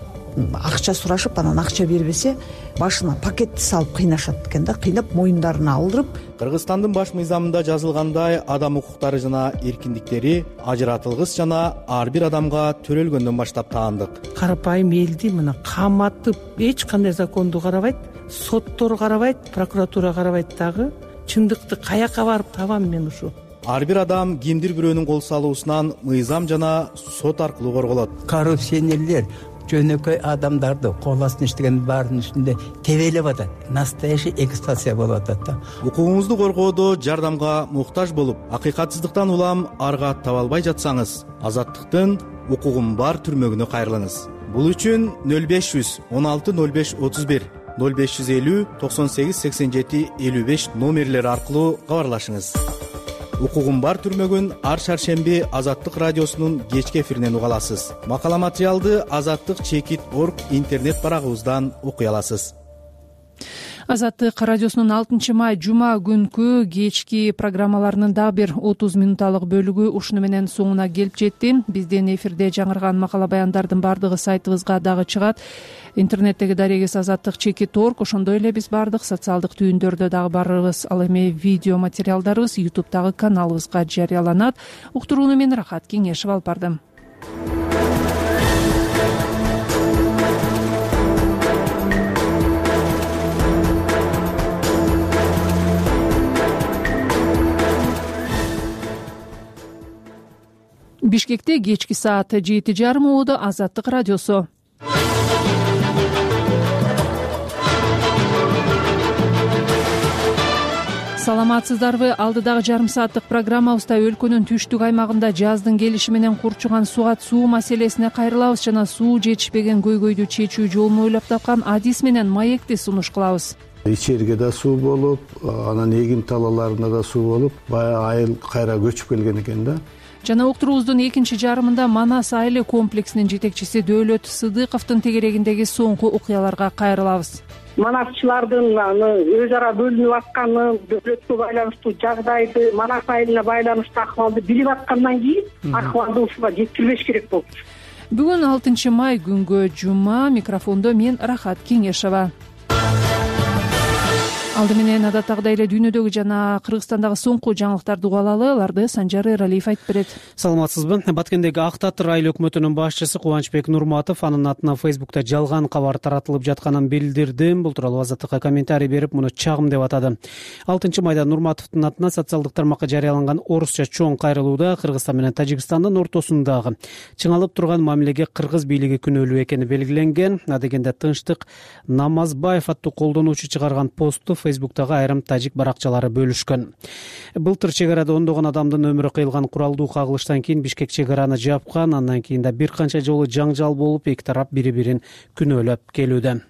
акча сурашып, анан акча бербесе, башына пакетти салып кыйнашат экен да, кыйнап моюндарына алдырып. Кыргызстандын баш мыйзамында жазылгандай, адам укуктары жана эркиндиктери ажыратылгыс жана ар бир адамга төрөлгөндөн баштап таандык. Карапайым элди мына каматып, эч кандай законду карабайт, соттор карабайт, прокуратура карабайт дагы. Чындыкты каяка барып табам мен ушу? Ар бир адам кимдир бирөөнүн кол салуусунан мыйзам жана сот аркылуу корголот. Коррупционерлер жөнөкөй адамдарды кол астына иштеген баардын үстүндө тебелеп атат. Настоящий эксплуатация болуп атат да. Укугуңузду коргоодо жардамга муктаж болуп, акыйкатсыздыктан улам арга таба албай жатсаңыз, Азаттыктын укугум бар түрмөгүнө кайрылыңыз. Бул үчүн 0500 16 05 31 0550 98 87 55 номерлери аркылуу кабарлашыңыз. укугум бар түрмөгүн ар шаршемби Азаттык радиосунун кечки эфиринен уга аласыз. Макала материалды azattik.org интернет барагыбыздан окуй аласыз. Азаттык радиосунун 6 май жума күнкү кечки программаларынын дагы бир 30 минутталык бөлүгү ушуну менен соңуна келип жетти. Бизден эфирде жаңырган макала баяндардын бардыгы сайтыбызга дагы чыгат. Интернеттеги дарегиз azattik.org. Ошондой эле биз бардык социалдык түйүндөрдө дагы барыбыз. Ал эми видео материалдарыбыз YouTube'дагы каналыбызга жарыяланат. Уктурууну мен Рахат Кеңешев алып бардым. Бишкекте кечки саат 7:30 убуду Азаттык радиосу. Саламатсыздарбы? Алдыдагы жарым сааттык программабызда өлкөнүн түштүк аймагында жаздын келиши менен курчуган сугат суу маселесине кайрылабыз жана суу жетишпеген көйгөйдү чечүү жолун ойлоп тапкан адис менен маекти сунуш кылабыз. Ичерге да суу болуп, анан эгин талааларына да суу болуп, баягы айыл кайра көчүп келген экен да. Жана уктуруубуздун экинчи жарымында Манас айыл комплексинин жетекчиси Дөөлөт Сыдыковдун тегерегиндеги соңку окуяларга кайрылабыз. Манасчылардын өз ара бөлүнүп атканын, дөөлөткө байланыштуу жагдайды, Манас айылына байланыштуу акыбалды билип аткандан кийин акыбалды ушуга жеткирбеш керек болчу. Бүгүн 6 май күнгө жума, микрофондо мен Рахат Кеңешева. Алды менен адаттагыдай эле дүйнөдөгү жана Кыргызстандагы соңку жаңылыктарды угуп алалы. Аларды Санжар Эралиев айтып берет. Саламатсызбы? Баткендеги Ак Татыр айыл өкмөтүнүн башчысы Кубанычбек Нурматов анын атынан Фейсбукта жалган кабар таратылып жатканын билдирди. Бул тууралуу Азаттыкка комментарий берип, муну чагым деп атады. 6 майда Нурматовдун атынан социалдык тармакка жарыяланган орусча чоң кайрылууда Кыргызстан менен Тажикстандын ортосундагы чыңалып турган мамилеге кыргыз бийлиги күнөөлүү экени белгиленген. Адегенде Тынчтык Намазбаев аттуу колдонуучу чыгарган постту Фейсбуктагы айрым тажик баракчалары бөлүшкөн. Былтыр чек арада ондогон адамдын өмүрү кыйылган куралдуу кагылыштан кийин Бишкек чек араны жапкан. Андан кийин да бир канча жолу жаңжал болуп, эки тарап бири-бирин күнөөлөп келүүдө.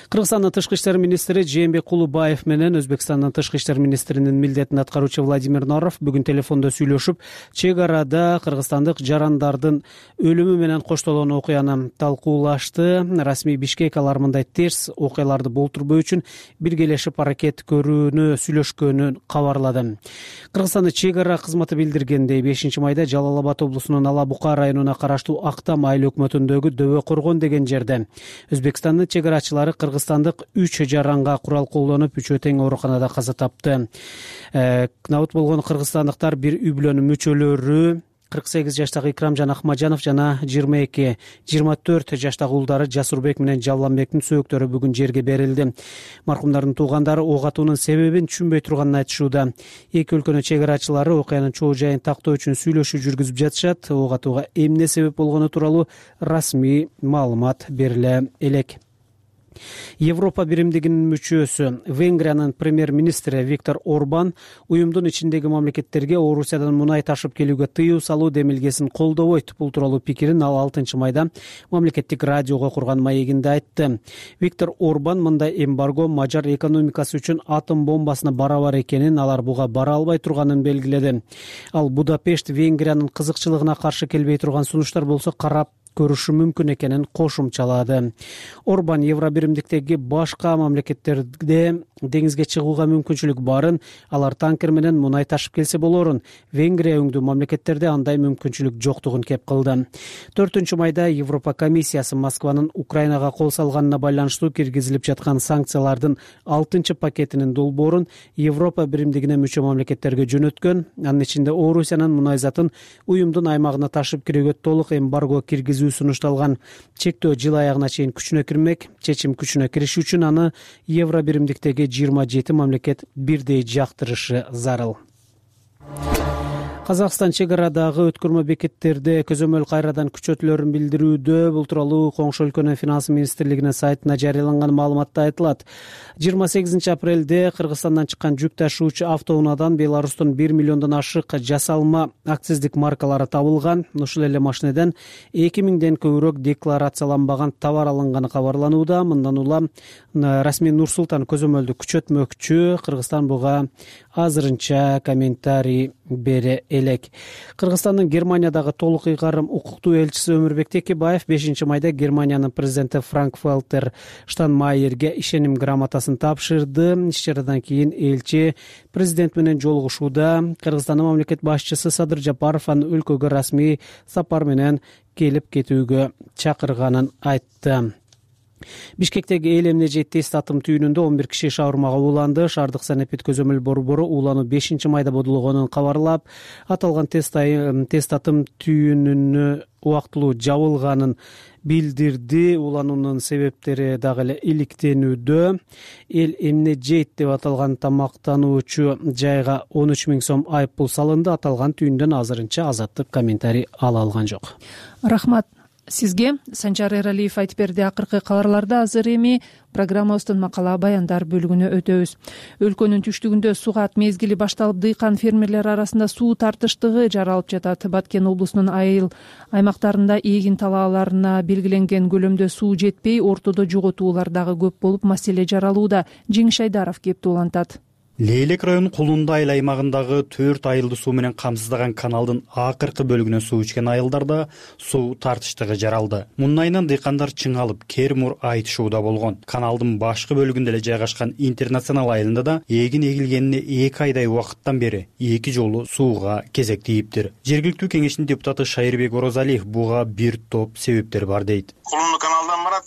Кыргызстандын тышкы иштер министри Жээнбек Кулубаев менен Өзбекстандын тышкы иштер министринин милдетин аткаруучу Владимир Наров бүгүн телефондо сүйлөшүп, чек арада кыргызстандык жарандардын өлүмү менен коштолгон окуяны талкуулашты. Расмий Бишкек алар мындай терс окуяларды болтурбоо үчүн биргелешип аракет көрүүнү сүйлөшкөнүн кабарлады. Кыргызстандын чек ара кызматы билдиргендей, 5 майда Жалал Абад облусунун Ала Бука районуна караштуу Актам айыл өкмөтүндөгү Дөбө Коргон деген жерде Өзбекстандын чек арачылары кыргызстандык 3 жаранга курал колдонуп, 3 тең ооруканада каза тапты. Набыт болгон кыргызстандыктар бир үй бүлөнүн мүчөлөрү 48 жаштагы Икрам Жан Ахмаджанов жана 22-24 жаштагы уулдары Жасурбек менен Жавланбектин сөөктөрү бүгүн жерге берилди. Маркумдардын туугандары ок атуунун себебин түшүнбөй турганын айтышууда. Эки өлкөнүн чек арачылары окуянын чоо жайын тактоо үчүн сүйлөшүү жүргүзүп жатышат. Ок атууга эмне себеп болгону тууралуу расмий маалымат бериле элек. Европа биримдигинин мүчөсү Венгриянын премьер-министри Виктор Орбан уюмдун ичиндеги мамлекеттерге Орусиядан мунай ташып келүүгө тыюу салуу демилгесин колдобойт. Бул тууралуу пикирин ал 6 майда мамлекеттик радиого курган маегинде айтты. Виктор Орбан мындай эмбарго мажар экономикасы үчүн атом бомбасына барабар экенин, алар буга бара албай турганын белгиледи. Ал Будапешт Венгриянын кызыкчылыгына каршы келбей турган сунуштар болсо карап көрүшү мүмкүн экенин кошумчалады. Орбан Евробиримдиктеги башка мамлекеттерде деңизге чыгууга мүмкүнчүлүк барын, алар танкер менен мунай ташып келсе болорун, Венгрия өңдүү мамлекеттерде андай мүмкүнчүлүк жоктугун кеп кылды. 4 майда Европа комиссиясы Москванын Украинага кол салганына байланыштуу киргизилип жаткан санкциялардын 6 пакетинин долбоорун Европа биримдигине мүчө мамлекеттерге жөнөткөн. Анын ичинде Орусиянын мунай затын уюмдун аймагына ташып кирүүгө толук эмбарго киргизүү сунушталган. Чектөө жыл аягына чейин күчүнө кирмек. Чечим күчүнө кириши үчүн аны Евробиримдиктеги 27 мамлекет бирдей жактырышы зарыл. Казакстан чек арадагы өткөрмө бекеттерде көзөмөл кайрадан күчөтүлөрүн билдирүүдө. Бул тууралуу коңшу өлкөнүн финанс министрлигинин сайтына жарыяланган маалыматта айтылат. 28 апрелде Кыргызстандан чыккан жүк ташуучу автоунаадан Беларустун 1 миллиондон ашык жасалма акциздик маркалары табылган. Ушул эле машинеден 2000ден көбүрөөк декларацияланбаган товар алынганы кабарланууда. Мындан улам Расмий Нурсултан көзөмөлдү күчөтмөкчү. Кыргызстан буга азырынча комментарий бере элек. Кыргызстандын Германиядагы толук ыйгарым укуктуу элчиси Өмүрбек Текебаев 5 майда Германиянын президенти Франк-Вальтер Штайнмайерге ишеним грамотасын тапшырды. Иш-чарадан кийин элчи президент менен жолугушууда Кыргызстандын мамлекет башчысы Садыр Жапаров аны өлкөгө расмий сапар менен келип кетүүгө чакырганын айтты. Бишкектеги эл эмне тест атым түйүнүндө 11 киши шаурмага ууланды. Шаардык санэпид көзөмөл борбору уулануу 5 майда бодулгонун кабарлап, аталган тест атым түйүнүнө убактылуу жабылганын билдирди. Уулануунун себептери дагы эле иликтенүүдө. Эл эмне жейт деп аталган тамактануучу жайга 13 000 сом айып пул салынды. Аталган түйүндөн азырынча Азаттык комментарий ала алган жок. Рахмат сизге. Санжар Эралиев айтып берди. Акыркы кабарларды азыр эми программабыздын макала баяндар бөлүгүнө өтөбүз. Өлкөнүн түштүгүндө сугат мезгили башталып, дыйкан фермерлер арасында суу тартыштыгы жаралып жатат. Баткен облусунун айыл аймактарында эгин талааларына белгиленген көлөмдө суу жетпей, ортодо жоготуулар дагы көп болуп, маселе жаралууда. Жеңиш Айдаров кеп улантат. Лейлек районунун Кулунда айыл аймагындагы 4 айылды суу менен камсыздаган каналдын акыркы бөлүгүнөн суу ичкен айылдарда суу тартыштыгы жаралды. Мунун айынан дыйкандар чыңалып, кермур айтышууда болгон. Каналдын башкы бөлүгүндө эле жайгашкан Интернационал айылында да эгин эгилгенине 2 айдай убакыттан бери 2 жолу сууга кезек тийиптир. Жергиликтүү кеңештин депутаты Шайырбек Орозалиев буга бир топ себептер бар дейт. Кулунду каналдан барат.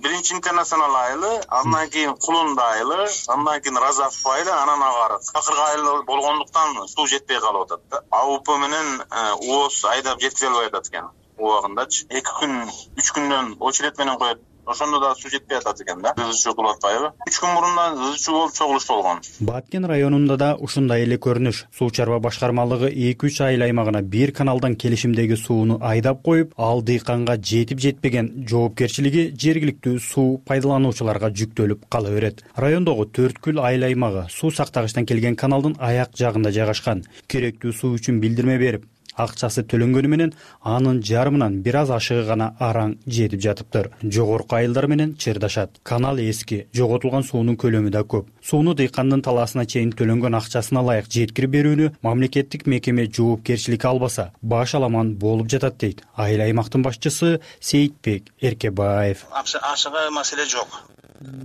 Биринчи Интернационал айылы, андан кийин Кулунда айылы, андан кийин Разаф айылы, анан акыркы айыл болгондуктан суу жетпей калып атат. АУП менен ООС айдап жеткизе албай атат экен. Убагындачы 2 күн, 3 күндөн очередь менен коет. Ошондо да суу жетпей атат экен да. ызычуу кылып атпайбы? 3 күн мурундан ызычуу болуп чогулуш болгон. Баткен районунда да ушундай эле көрүнүш. Суу чарба башкармалыгы 2-3 айыл аймагына бир каналдан келишимдеги сууну айдап коюп, ал дыйканга жетип жетпеген жоопкерчилиги жергиликтүү суу пайдалануучуларга жүктөлүп кала берет. Райондогу 4 айыл аймагы суу сактагычтан келген каналдын аяк жагында жайгашкан. Керектүү суу үчүн билдирме берип, акчасы төлөнгөнү менен анын жарымынан бир аз ашыгы гана араң жетип жатыптыр. Жогорку айылдар менен чырдашат. Канал эски, жоготулган суунун көлөмү да көп. Сууну дыйкандын талаасына чейин төлөнгөн акчасына ылайык жеткирип берүүнү мамлекеттик мекеме жоопкерчилик албаса, баш аламан болуп жатат дейт айыл аймактын башчысы Сейитбек Эркебаев. Ашыга маселе жок.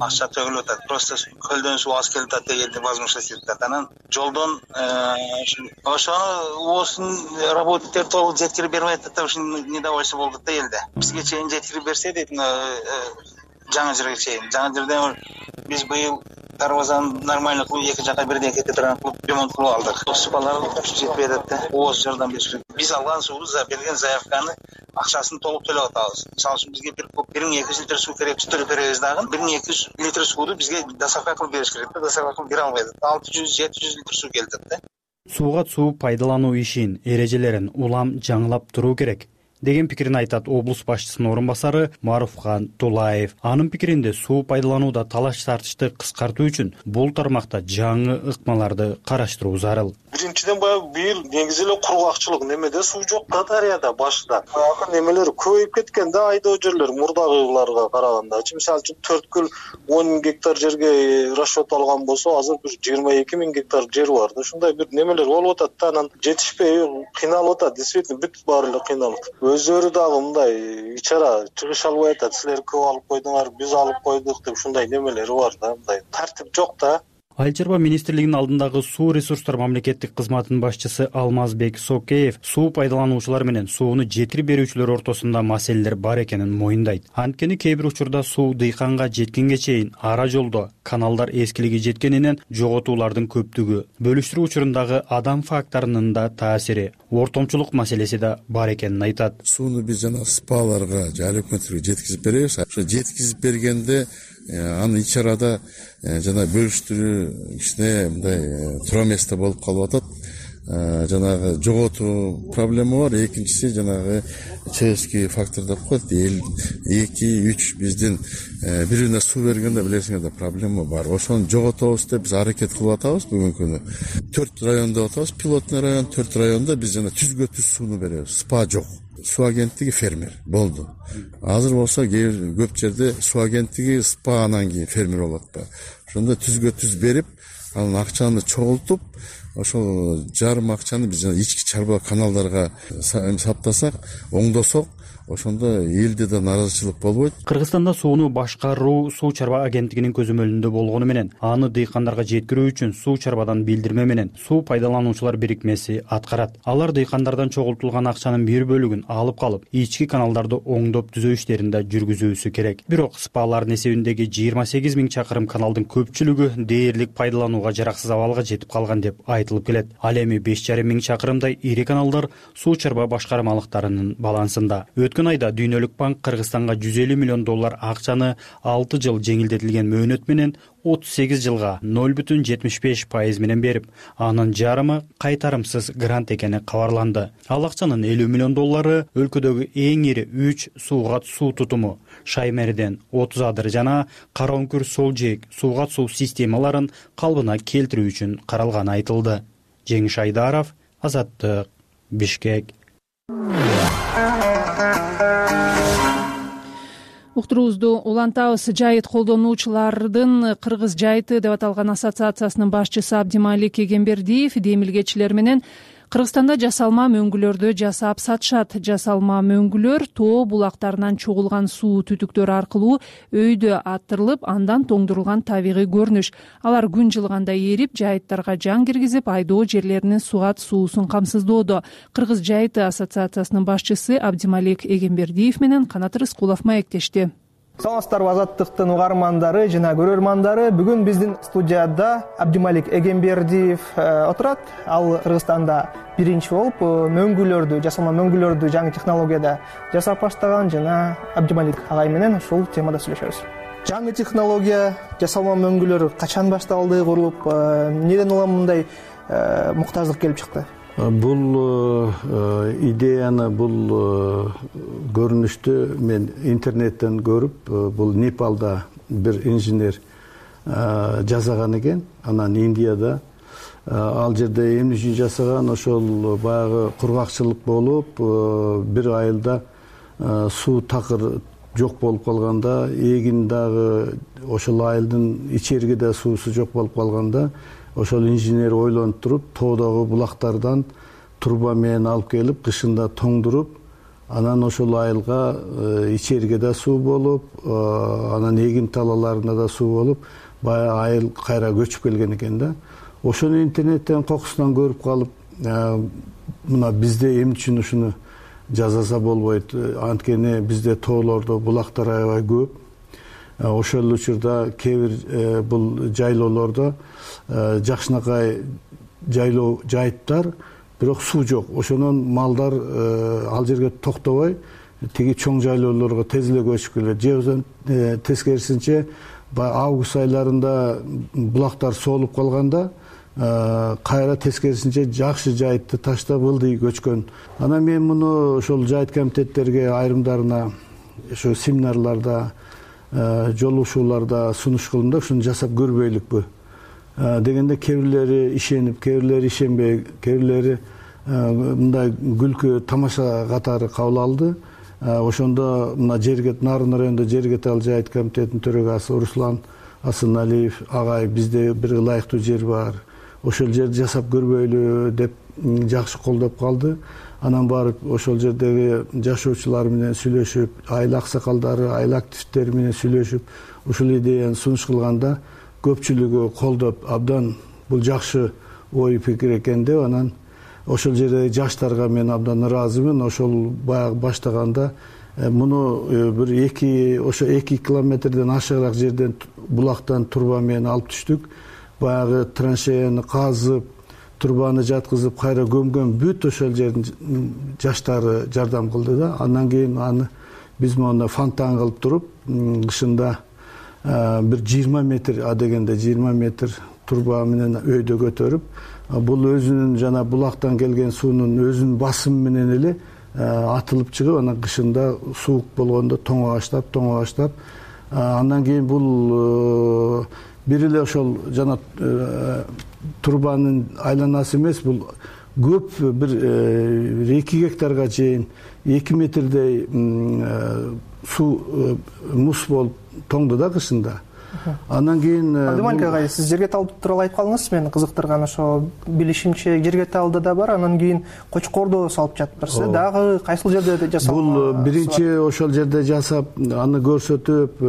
Акча төгүлүп атат. Просто көлдөн суу аз келип атат дегенди возможность этип атат. Анан жолдон ошону ооздун работниктери толук жеткирип бербей атат да, ушун недовольство болдук да элде. Бизге чейин жеткирип берсе дейт, жаңы жерге чейин. Жаңы жерден биз быйыл дарбазаны нормально кылып, эки жака бирдей кете турган кылып ремонт кылып алдык. Сапалары жетпей атат да. ООС жардам бериши керек. Биз алган сууну, берген заявканы акчасын толук төлөп атабыз. Мисалы үчүн бизге 1200 литр суу керек, төлөп беребиз дагы. 1200 литр сууну бизге доставка кылып бериш керек да. Доставка кылып бере албайт. 600-700 литр суу келет да. Сууга суу пайдалануу ишин, эрежелерин улам жаңылап туруу керек деген пикирин айтат облус башчысынын орун басары Маруфхан Тулаев. Анын пикиринде суу пайдаланууда талаш тартышты кыскартуу үчүн бул тармакта жаңы ыкмаларды караштыруу зарыл. Биринчиден баягы быйыл негизи эле кургакчылык, немеде суу жок да дарыяда башта. Баягы немелер көбөйүп кеткен да, айдоо жерлер мурдагыларга караганда. Мисалы үчүн 4 10 гектар жерге расчет алган болсо, азыр 22 000 гектар жер бар да. Ушундай бир немелер болуп атат да, анан жетишпей кыйналып атат. Действительно бүт баары эле кыйналат. Өздөрү дагы мындай ичара чыгыш албай атат. Силер көп алып койдуңар, биз алып койдук деп ушундай немелери бар да. Мындай тартип жок да. Айыл чарба министрлигинин алдындагы суу ресурстар мамлекеттик кызматынын башчысы Алмазбек Сокеев суу пайдалануучулар менен сууну жеткирип берүүчүлөр ортосунда маселелер бар экенин моюндайт. Анткени кээ бир учурда суу дыйканга жеткенге чейин ара жолдо каналдар эскилиги жеткенинен жоготуулардын көптүгү, бөлүштүрүү учурундагы адам факторунун да таасири, ортомчулук маселеси да бар экенин айтат. Сууну биз жана спаларга же айыл өкмөттөргө жеткизип беребиз. Ошо жеткизип бергенде аны ичарада жана бөлүштүрүү кичине мындай тура эмес да болуп калып атат. жанагы жоготуу проблема бар. Экинчиси жанагы человеческий фактор деп коет. 2-3 биздин бирине суу бергенде билесиңер да проблема бар. Ошону жоготобуз деп биз аракет кылып атабыз бүгүнкү күнү. 4 район деп атабыз, пилотный район. 4 районда биз жана түзгө түз сууну беребиз. СПА жок. Суу агенттиги фермер болду. Азыр болсо көп жерде суу агенттиги СПА анан кийин фермер болуп атпайбы. Ошондо түзгө түз берип, анан акчаны чогултуп, ошол жарым акчаны биз жана ички чарба каналдарга саптасак, оңдосок, ошондо элде да нааразычылык болбойт. Кыргызстанда сууну башкаруу суу чарба агенттигинин көзөмөлүндө болгону менен аны дыйкандарга жеткирүү үчүн суу чарбадан билдирме менен суу пайдалануучулар бирикмеси аткарат. Алар дыйкандардан чогултулган акчанын бир бөлүгүн алып калып, ички каналдарды оңдоп түзөө иштерин да жүргүзүүсү керек. Бирок СПАлардын эсебиндеги 28 000 чакырым каналдын көпчүлүгү дээрлик пайдаланууга жараксыз абалга жетип калган деп айтылып келет. Ал эми 5,5 миң чакырымдай ири каналдар суу чарба башкармалыктарынын балансында. Өткөн айда Дүйнөлүк банк Кыргызстанга $150 миллион акчаны 6 жыл жеңилдетилген мөөнөт менен 38 жылга 0,75% менен берип, анын жарымы кайтарымсыз грант экени кабарланды. Ал акчанын $50 миллион өлкөдөгү эң ири 3 суугат суу тутуму, Шаймерден 30 адыр жана Кара Өңкүр Сол Жээк суугат суу системаларын калыбына келтирүү үчүн каралганы айтылды. Жеңиш Айдаров, Азаттык, Бишкек. Уктуруубузду улантабыз. Жайыт колдонуучулардын Кыргыз жайыты деп аталган ассоциациясынын башчысы Абдималик Эгембердиев демилгечилер менен Кыргызстанда жасалма мөңгүлөрдү жасап сатышат. Жасалма мөңгүлөр тоо булактарынан чогулган суу түтүктөрү аркылуу өйдө аттырылып, андан тоңдурулган табигый көрүнүш. Алар күн жылганда эрип, жайыттарга жан киргизип, айдоо жерлеринин суугат суусун камсыздоодо. Кыргыз жайыты ассоциациясынын башчысы Абдималик Эгембердиев менен Канат Рыскулов маектешти. Саламатсыздарбы, Азаттыктын угармандары жана көрөрмандары. Бүгүн биздин студияда Абдималик Эгембердиев отурат. Ал Кыргызстанда биринчи болуп мөңгүлөрдү, жасалма мөңгүлөрдү жаңы технологияда жасап баштаган жана Абдималик агай менен ушул темада сүйлөшөбүз. Жаңы технология, жасалма мөңгүлөр качан башталды, курулуп, неден улам мындай муктаждык келип чыкты? Бул идеяны, бул көрүнүштү мен интернеттен көрүп, бул Непалда бир инженер жасаган экен. Анан Индияда ал жерде эмне үчүн жасаган, ошол баягы кургакчылык болуп, бир айылда суу такыр жок болуп калганда, эгин дагы ошол айылдын ичериги да суусу жок болуп калганда, ошол инженер ойлонуп туруп, тоодогу булактардан труба менен алып келип, кышында тоңдуруп, анан ошол айылга ичериге да суу болуп, анан эгин талаларына да суу болуп, баягы айыл кайра көчүп келген экен да. Ошону интернеттен кокусунан көрүп калып, мына бизде эмне үчүн ушуну жасаса болбойт? Анткени бизде тоолордо булактар аябай көп. Ошол учурда кээ бир бул жайлоолордо жакшынакай жайлоо жайыттар, бирок суу жок. Ошонун малдар ал жерге токтобой, тиги чоң жайлоолорго тез эле көчүп келет. Же тескерисинче, август айларында булактар соолуп калганда, кайра тескерисинче жакшы жайытты таштап ылдый көчкөн. Анан мен муну ошол жайыт комитеттерге айрымдарына ошо семинарларда, жолугушууларда сунуш кылдым да, ушуну жасап көрбөйлүкпү дегенде кээ бирлери ишенип, кээ бирлери ишенбей, кээ бирлери мындай күлкү тамаша катары кабыл алды. Ошондо мына Нарын районунда Жергетал жайыт комитетинин төрагасы Руслан Асыналиев агай, бизде бир ылайыктуу жер бар, ошол жерди жасап көрбөйлү деп жакшы колдоп калды. Анан барып ошол жердеги жашоочулар менен сүйлөшүп, айыл аксакалдары, айыл активдери менен сүйлөшүп, ушул идеяны сунуш кылганда көпчүлүгү колдоп, абдан бул жакшы ой пикир экен деп, анан ошол жердеги жаштарга мен абдан ыраазымын. Ошол баягы баштаганда муну бир 2 километрден ашыгыраак жерден булактан труба менен алып түштүк. Баягы траншеяны казып, трубаны жаткызып, кайра көмгөн бүт ошол жердин жаштары жардам кылды да. Андан кийин аны биз мону фонтан кылып туруп, кышында бир 20 метр, адегенде 20 метр труба менен өйдө көтөрүп, бул өзүнүн жана булактан келген суунун өзүнүн басымы менен эле атылып чыгып, анан кышында суук болгондо тоңо баштап, андан кийин бул бир эле ошол жана турбанын айланасы эмес, бул көп бир 2 гектарга чейин 2 метрдей суу муз болуп тоңду да кышында. Андан кийин Абдымалик агай, сиз Жергеталды тууралуу айтып калдыңыз. Мени кызыктырган ошо билишимче Жергеталды да бар, анан кийин Кочкордо салып жатыптыр. Дагы кайсыл жерде жасап? Бул биринчи ошол жерде жасап, аны көрсөтүп,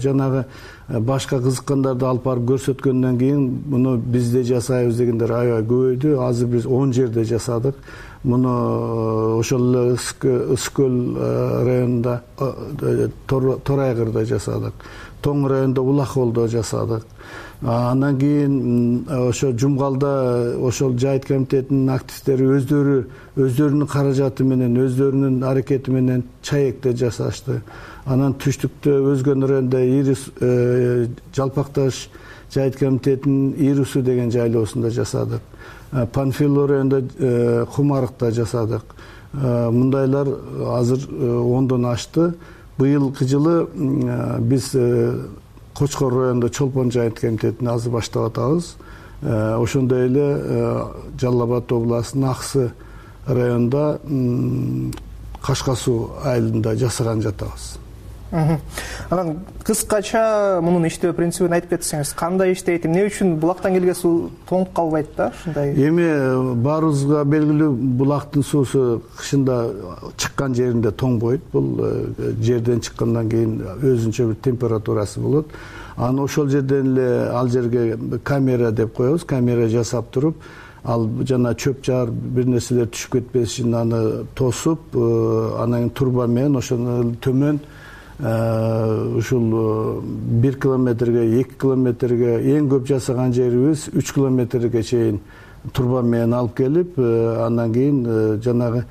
жанагы башка кызыккандарды алып барып көрсөткөндөн кийин муну бизде жасайбыз дегендер аябай көбөйдү. Азыр биз 10 жерде жасадык. Муну ошол эле Ысык көл районунда, Торайгырда жасадык. Тоң районунда Улаколдо жасадык. Андан кийин ошо Жумгалда ошол жайыт комитетинин активдери өздөрүнүн каражаты менен, өздөрүнүн аракети менен Чаекте жасашты. Анан түштүктө Өзгөн районунда Ирис Жалпакташ жайыт комитетинин Ирусу деген жайлоосунда жасадык. Панфилов районунда Кумарыкта жасадык. Мындайлар азыр 10дон ашты. Быйылкы жылы биз Кочкор районунда Чолпон жайыт комитетин азыр баштап атабыз. Ошондой эле Жалал Абад областынын Аксы районунда Кашка суу айылында жасаган жатабыз. Анан кыскача мунун иштөө принцибин айтып кетсеңиз, кандай иштейт, эмне үчүн булактан келген суу тоңуп калбайт да ушундай? Эми баарыбызга белгилүү, булактын суусу кышында чыккан жеринде тоңбойт. Бул жерден чыккандан кийин өзүнчө бир температурасы болот. Анан ошол жерден эле ал жерге камера деп коебуз, камера жасап туруп, ал жана чөп жаар бир нерселер түшүп кетпеш үчүн аны тосуп, анан турба менен ошону төмөн ушул 1 километрге, 2 километрге, эң көп жасаган жерибиз 3 километрге чейин турба менен алып келип, андан кийин жанагы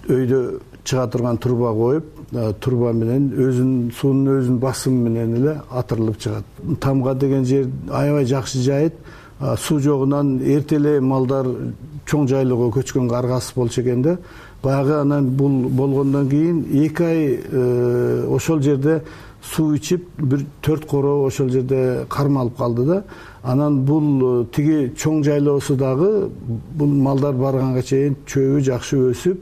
өйдө чыга турган турба коюп, турба менен суунун өзүнүн басымы менен эле атырылып чыгат. Тамга деген жер аябай жакшы жайыт. Суу жогунан эрте эле малдар чоң жайлоого көчкөнгө аргасыз болчу экен да. Баягы анан бул болгондон кийин 2 ай ошол жерде суу ичип, бир 4 короо ошол жерде кармалып калды да. Анан бул тиги чоң жайлоосу дагы бул малдар барганга чейин чөбү жакшы өсүп,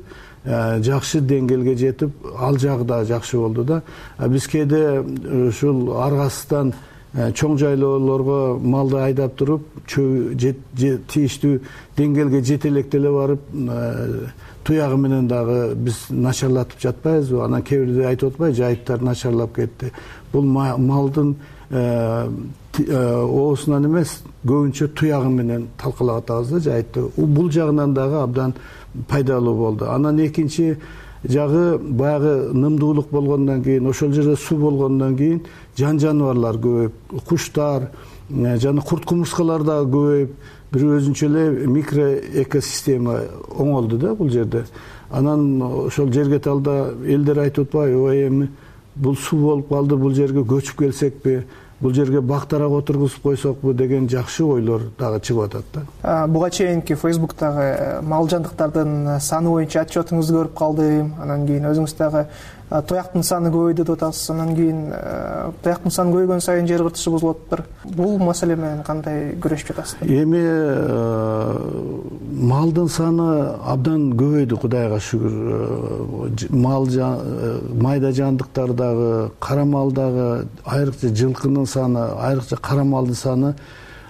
жакшы деңгээлге жетип, ал жагы да жакшы болду да. Биз кээде ушул аргасыздан чоң жайлоолорго малды айдап туруп, тийиштүү деңгээлге жете электе эле барып, туягы менен дагы биз начарлатып жатпайбызбы? Анан кээ бирде айтып атпайбы, жайыттар начарлап кетти. Бул малдын оосунан эмес, көбүнчө туягы менен талкалап атабыз да жайытты. Бул жагынан дагы абдан пайдалуу болду. Анан экинчи жагы баягы нымдуулук болгондон кийин, ошол жерде суу болгондон кийин жан жаныбарлар көбөйүп, куштар жана курт кумурскалар дагы көбөйүп, бир өзүнчө эле микроэкосистема оңолду да бул жерде. Анан ошол Жергеталда элдер айтып атпайбы, ой эми бул суу болуп калды, бул жерге көчүп келсекпи, бул жерге бактарак отургузуп койсокпу деген жакшы ойлор дагы чыгып атат да. Буга чейинки Facebook'тагы мал жандыктардын саны боюнча отчетуңузду көрүп калдым. Анан кийин өзүңүз дагы тояктын саны көбөйдү деп атасыз. Анан кийин тояктын саны көбөйгөн сайын жер кыртышы бузулуп атыптыр. Бул маселе менен кандай күрөшүп жатасыздар? Эми малдын саны абдан көбөйдү, Кудайга шүгүр. Мал майда жандыктар дагы, кара мал дагы, айрыкча жылкынын саны, айрыкча кара малдын саны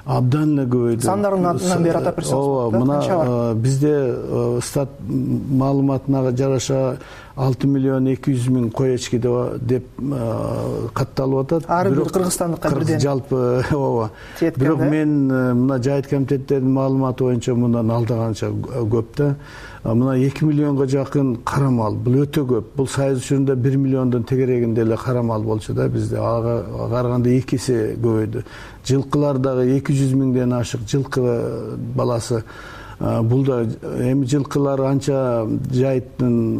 абдан эле көбөйдү. Сандарын атынан бери атап берсеңиз. Ооба, мына бизде стат маалыматына жараша 6 миллион 200 миң кой эчки деп катталып атат. Ар бир кыргызстандыкка бирден. Жалпы ооба. Бирок мен мына жайыт комитеттеринин маалыматы боюнча мындан алдаганча көп да. Мына 2 миллионго жакын кара мал. Бул өтө көп. Бул Союз учурунда 1 миллиондон тегерегинде эле кара мал болчу да бизде. Ага караганда 2 эсе көбөйдү. Жылкылар дагы 200 миңден ашык жылкы баласы. Бул да эми жылкылар анча жайыттын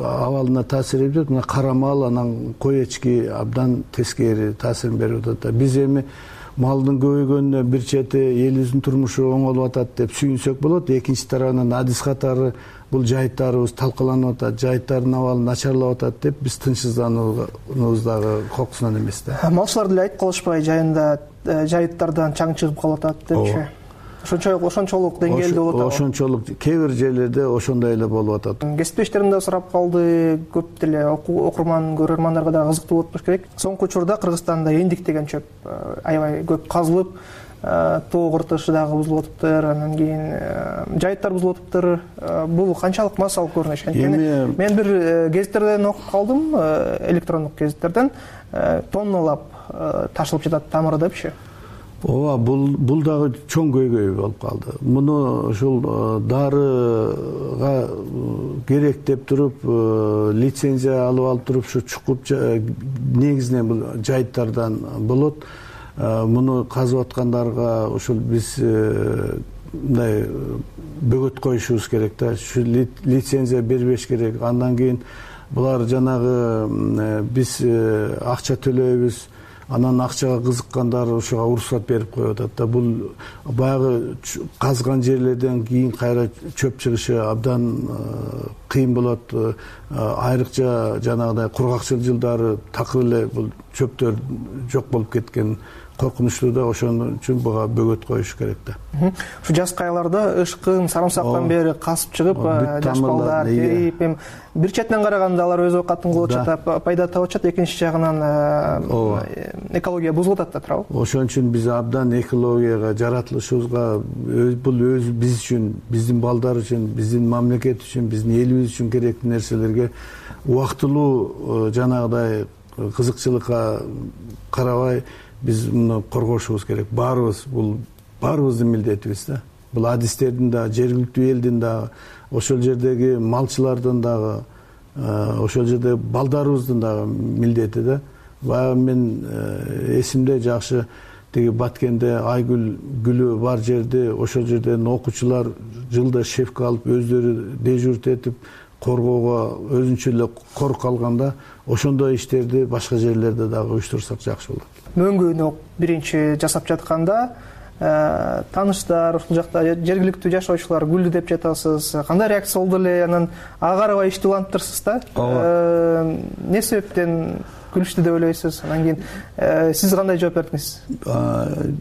абалына таасир этет. Мына кара мал, анан кой эчки абдан тескери таасирин берип атат да. Биз эми малдын көбөйгөнүнө бир чети элибиздин турмушу оңолуп атат деп сүйүнсөк болот. Экинчи тарабынан адис катары бул жайыттарыбыз талкаланып атат, жайыттардын абалы начарлап атат деп биз тынчсыздануубуз дагы кокусунан эмес да. Малчылар деле айтып калышпайбы, жайында жайыттардан чаң чыгып калып атат депчи. Ошончолук деңгээлде болуп атат. Ошончолук кээ бир жерлерде ошондой эле болуп атат. Кесиптештерим да сурап калды, көп деле окурман, көрөрмандарга да кызыктуу болуп болуш керек. Соңку учурда Кыргызстанда эндик деген чөп аябай көп казылып, тоо кыртышы дагы бузулуп атыптыр, анан кийин жайыттар бузулуп атыптыр. Бул канчалык массалык көрүнүш? Анткени мен бир гезиттерден окуп калдым, электрондук гезиттерден, тонналап ташылып жатат тамыры депчи. Ооба, бул дагы чоң көйгөй болуп калды. Муну ушул дарыга керек деп туруп, лицензия алып туруп, ушу чукуп негизинен бул жайыттардан болот. Муну казып аткандарга ушул биз мындай бөгөт коюшубуз керек да. Ушу лицензия бербеш керек. Андан кийин булар жанагы биз акча төлөйбүз. Анан акчага кызыккандар ушуга уруксат берип коюп атат да. Бул баягы казган жерлерден кийин кайра чөп чыгышы абдан кыйын болот. Айрыкча жанагыдай кургакчыл жылдары такыр эле бул чөптөр жок болуп кеткен коркунучтуу да. Ошон үчүн буга бөгөт коюш керек да. Ушу жаз кайларда ышкын, сарымсактан бери касып чыгып, жаш балдар терип, бир четинен караганда алар өз оокатын кылып атышат, пайда таап атышат, экинчи жагынан экология бузулуп атат да, туурабы? Ошон үчүн биз абдан экологияга жаратылышыбызга, бул өз биз үчүн, биздин балдар үчүн, биздин мамлекет үчүн, биздин элибиз үчүн керектүү нерселерге убактылуу жанагыдай кызыкчылыкка карабай биз муну коргошубуз керек. Бул баарыбыздын милдетибиз да. Бул адистердин да, жергиликтүү элдин да, ошол жердеги малчылардын дагы, ошол жерде балдарыбыздын дагы милдети да. Баягы мен эсимде жакшы тиги Баткенде Айгүл гүлү бар жерде, ошол жерден окуучулар жылда шефка алып өздөрү дежурт этип коргоого өзүнчө эле корук алганда, ошондой иштерди башка жерлерде дагы уюштурсак жакшы болот. Мөңгүнү биринчи жасап жатканда тааныштар, ушул жакта жергиликтүү жашоочулар гүлдү деп жатасыз. Кандай реакция болду эле? Анан ага карабай ишти уланттырсыз да? Эмне себептен күлүштү деп ойлойсуз? Анан кийин сиз кандай жооп бердиңиз?